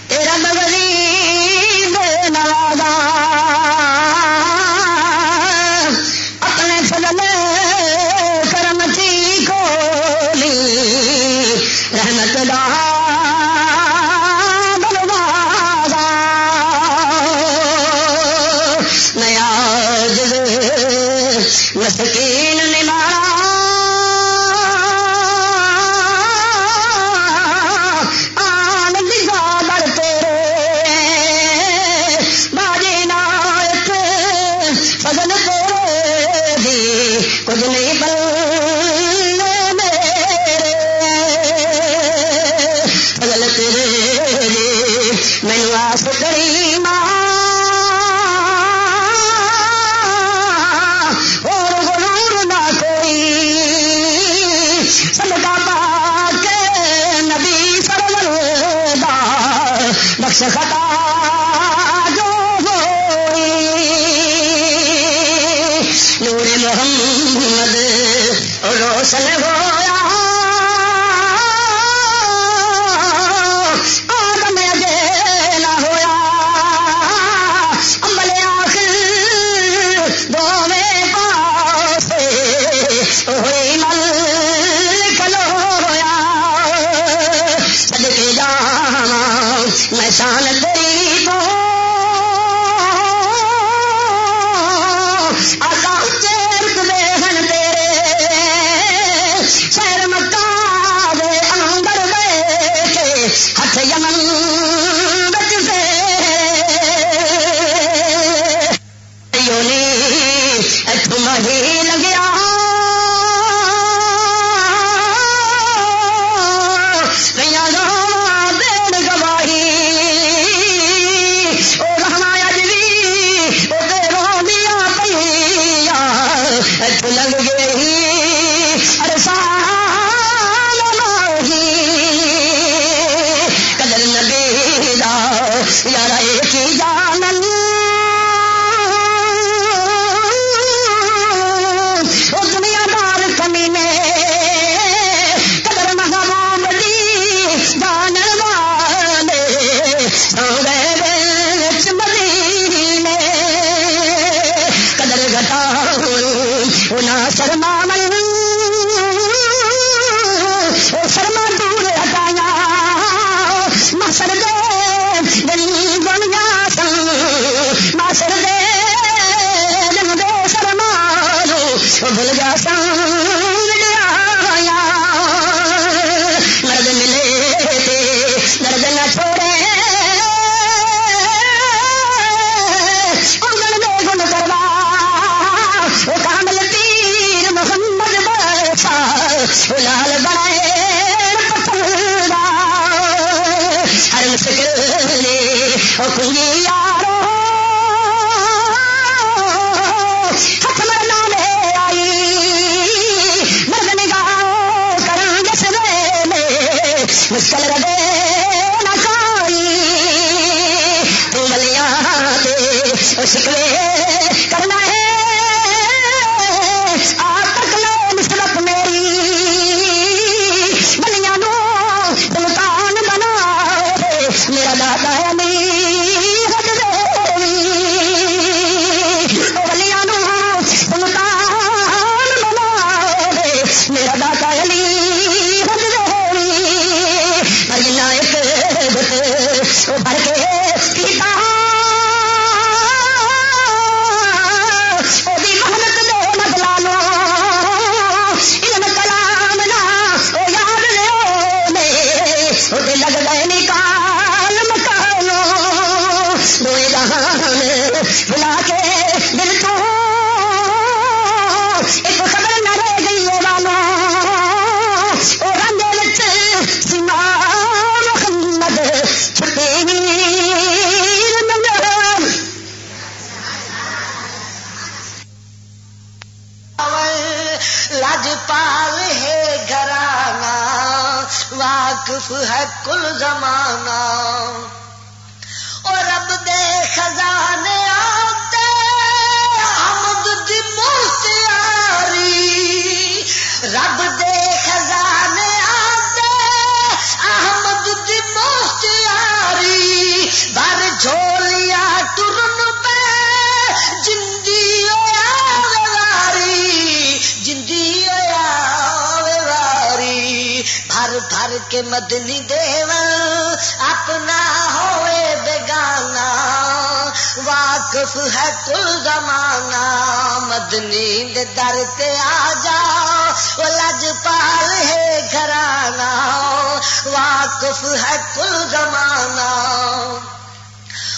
تیرا بغریب نوازاں، اپنے فضل کرم کی کھولی رحمت دا دروازہ۔ میں عاجز مسکین نمارا، آن لگا در تیرے، باجی نائک فضل تیرے دی، کچھ نہیں بلے میرے، فضل تیرے دی، مینوں آس کری ماں، اور غرور نہ کوئی، صدقہ پاک نبی سرور دا، بخش خطا جو ہوئی۔ نور محمد روشن ہویا، آدم اجے نہ ہویا، امبل آخر دوویں پاسے ہوئی مل کھلویا۔ صدقے جاواں میں شان تیری تو، آقا اچے رتبے ہن تیرے، شہر مکہ دے اندر بیٹھے، ہتھ یمن وچ پھیرے۔ یونی اتھوں مہی لگیا، میاں راواں دین گواہی، او راواں اج وی او تے روندیاں پئیاں، اتھوں لنگ گئی عرصہ ماہی۔ قدر نبی دا یارا اے کی جانن، او دنیا دار کمینے، قدر محبوب دی جانن والے، سو گئے وچ مدینے، قدر گھٹاون او نہ شرماون، او شرما دور ہٹایا، محشر دے دن دنیا سن، محشر دے دن بے شرما نو بھل گیا سن وڈیرایا۔ مرد ملے تے درد نہ چھوڑے، آنگن دے گن کروا، او کامل پیر محمد بخشا، او لال بنائے پتھر دا۔ ہر مشکل نے او کنجی یارو، ہتھ مرنا لے آئی، مرد نگاہ کرن جس ویلے، مشکل ردے نہ کوئی، تو ولیاں دے او شکوے کرنا ہے، آپ تک لو نسبت میری، ولیاں نو سلطان بنا دے، میرا دادا علی حج دے، او ولیاں نو سلطان بنا دے، میرا دادا علی حج دے، پر جنہ ایک گھٹ او بھر کے پیتا، او دی محنت دے بدلا لو، علم کلام نہ او یاد لیو نے، او تے لگ گئے نکال مکانو، دوئے جہان بھلا کے دل تو ایک خبر نہ رہ گئی ہے والو، او رنگ وچ سیما محمد چھپے ویر منگل۔ واقف ہے کل زمانہ۔ او رب دے خزانے آتے، آمد دی مختیاری۔ رب دے خزانے آتے، آمد دی مختیاری۔ بھر جھولیا ٹرن پہ، جندی ہویا واری، جندی ہویا واری۔ بھر بھر کے مدنی دیول، اپنا ہوئے بیگانہ۔ واقف ہے کل زمانہ، مدنی دے در تے آ جا، او لجپال ہے گھرانہ۔ واقف ہے کل زمانہ۔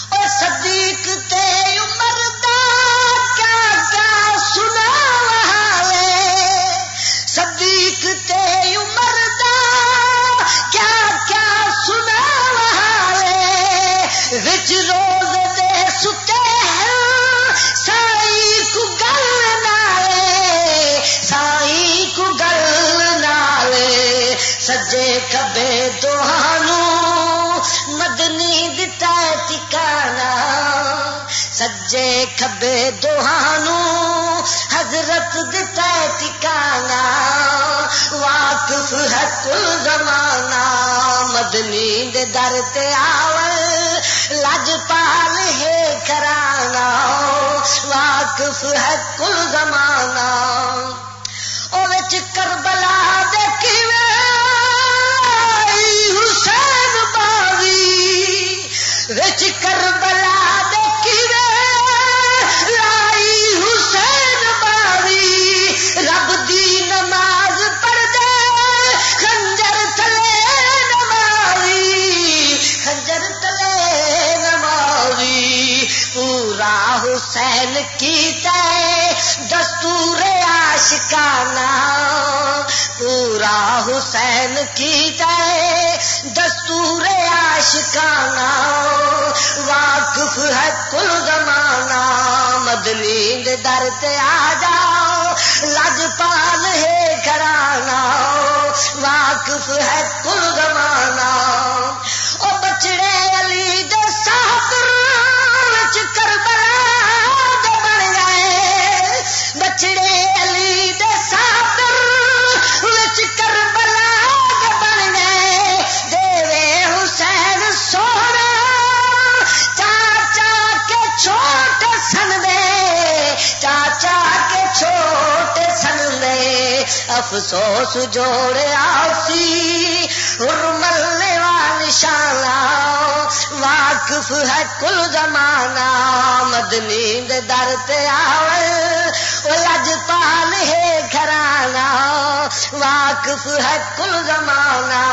او صدیق تے عمر دا کیا کیا سناواں وے، صدیق تے عمر دا کیا کیا سناواں وے، وچ روز دے ستے ہیں، سائیں کو گل نالے، سائیں کو گل نالے۔ سجے کھبے دوہانوں مدنی دتا ہے ٹھکانہ، سجے کھبے دوہانوں حضرت دتا ہے ٹھکانہ۔ واقف ہے کل زمانہ، مدنی دے در تے آون، لجپال ہے گھرانہ۔ واقف ہے کل زمانہ۔ او وچ کربلا دے کیویں لائی حسین باوی، وچ کربلا دے کیویں لائی حسین باوی۔ رب دی نماز پڑھدے خنجر تلے نماوی، خنجر تلے نماوی۔ پورا حسین کیتا ہے دستور عاشقانہ، پورا حسین کیتا ہے دستور عاشقانہ۔ واقف ہے کل زمانہ، مدنی دے در تے آ جاؤ، لجپال ہے گھرانہ۔ واقف ہے کل زمانہ۔ او بچڑے علی دے ساتر وچ کربلا دے بن گئے، بچڑے علی دے ساتر وچ کربلا دے بن گئے۔ دیوے حسین سونا چاچا کے چھوٹ سن دے، چاچا کے چھوٹ سن دے۔ افسوس جوڑیا سی ہرملے والا نشانہ۔ واقف ہے کل زمانہ، مدنی دے در تے آون، او لجپال ہے گھرانہ۔ واقف ہے کل زمانہ،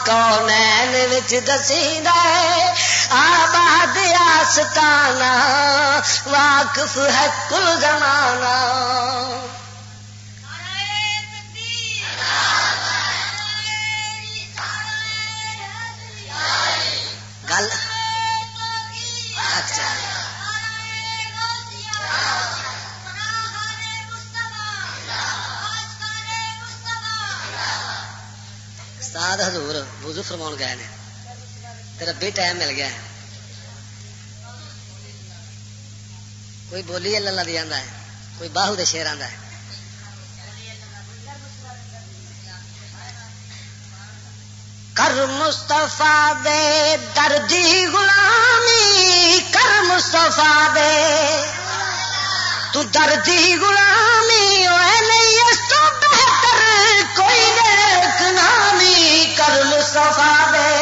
کونین وچ دسیندا ہے آباد آستانہ۔ واقف ہے کل زمانہ۔ گل اچھا۔ استاد حضور وضو فرماؤن گئے نے، تے ربی ٹائم مل گیا ہے۔ کوئی بولی اللہ اللہ دی آندا ہے، کوئی باہو دے شعر آندا ہے۔ کر مصطفیٰ دے دردی غلامی، کر مصطفیٰ دے تو دردی غلامی، اوے نہیں اس تو بہتر کوئی نیک نامی، کر مصطفیٰ دے۔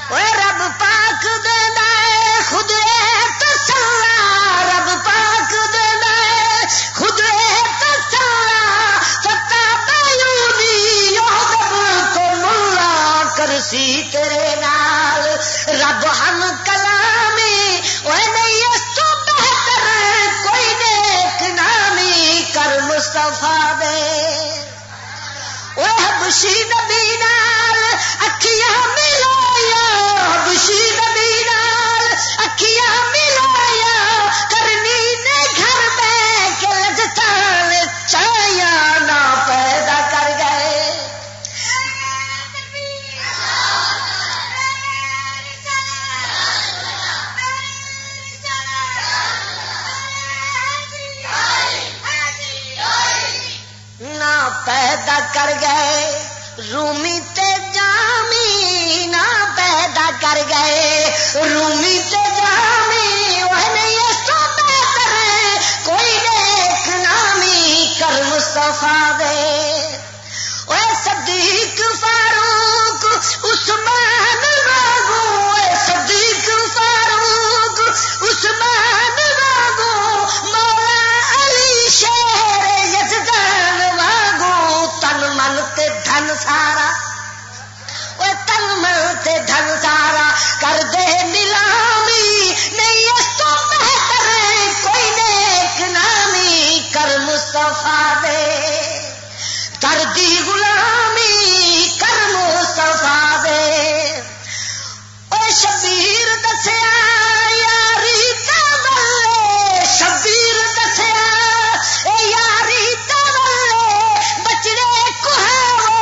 اوے رب پاک دیندا ہے خود اے تسلا، رب پاک دیندا ہے خود اے تسلا۔ فتح بیونی یوسف کو ملا کرسی تیرے نال، رب ہم کلامی۔ اوے نہیں اس تو بہتر کوئی نیک نامی، کر مصطفیٰ دے۔ او حبشی نبی نال اکھیاں ملائیاں، رومی تے جامی نہ پیدا کر گئے، رومی تے جامی، وہ نہیں اس تو بہتر کوئی نیک نامی کر مصطفیٰ دے۔ اے صدیق فاروق عثمان وانگو، اے صدیق فاروق عثمان وانگو، مولا علی شیر یزدان وانگو، تن من تے دھن سارا، او تن من تے دھن سارا کر دے نیلامی، نہیں اس تو بہتر کوئی نیک نامی کر مصطفیٰ دے، کر دی غلامی کر مصطفیٰ دے۔ او شبیر دسیا یاری تے ولے، شبیر دسیا اے یاری تے ولے، بچڑے کوہاوو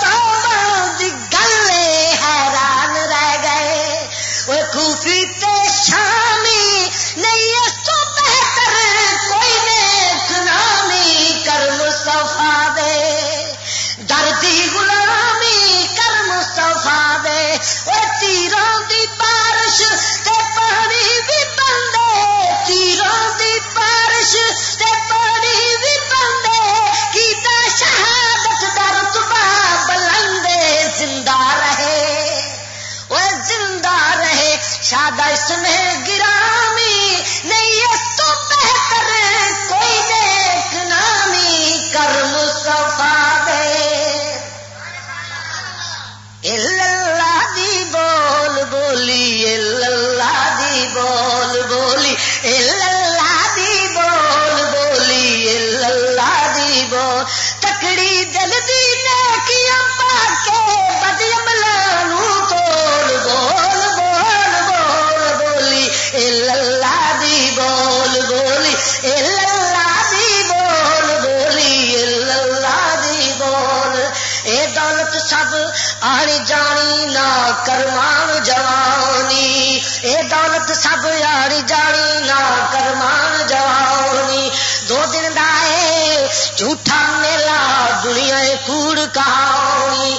تاواں دی گل اے، حیران رہ گئے۔ او کوفی تے شامی، نہیں اس تو بہتر کوئی نیک نامی کر مصطفیٰ دے، دردی غلامی کر مصطفیٰ دے۔ او تیراں دی بارش تے پانی بھی بندے، تیراں دی بارش تے پانی بھی بندے، کیتا شہادت دا رتبہ بلندے، زندہ رہے، او زندہ رہے، شاد اس میں گرامی، نہیں اس تو بہتر کوئی نیک نامی کر مصطفیٰ دے۔ الا اللہ دی بول بولی، الا اللہ دی بول بولی، الا اللہ دی بول بولی، الا اللہ دی بول۔ تکڑی دل دی نیکیاں پا کے، بد عملاں نوں تول، بول، بول، بول، بولی، الا اللہ دی بول بولی، الا اللہ دی بول بولی، الا اللہ دی بول۔ اے دولت سب آنی جانی، نہ کرمان جوانی، اے دولت سب آنی جانی، نہ کرمان جوانی۔ دو دن دا اے جھوٹا میلہ، دنیا اے کوڑ کہانی۔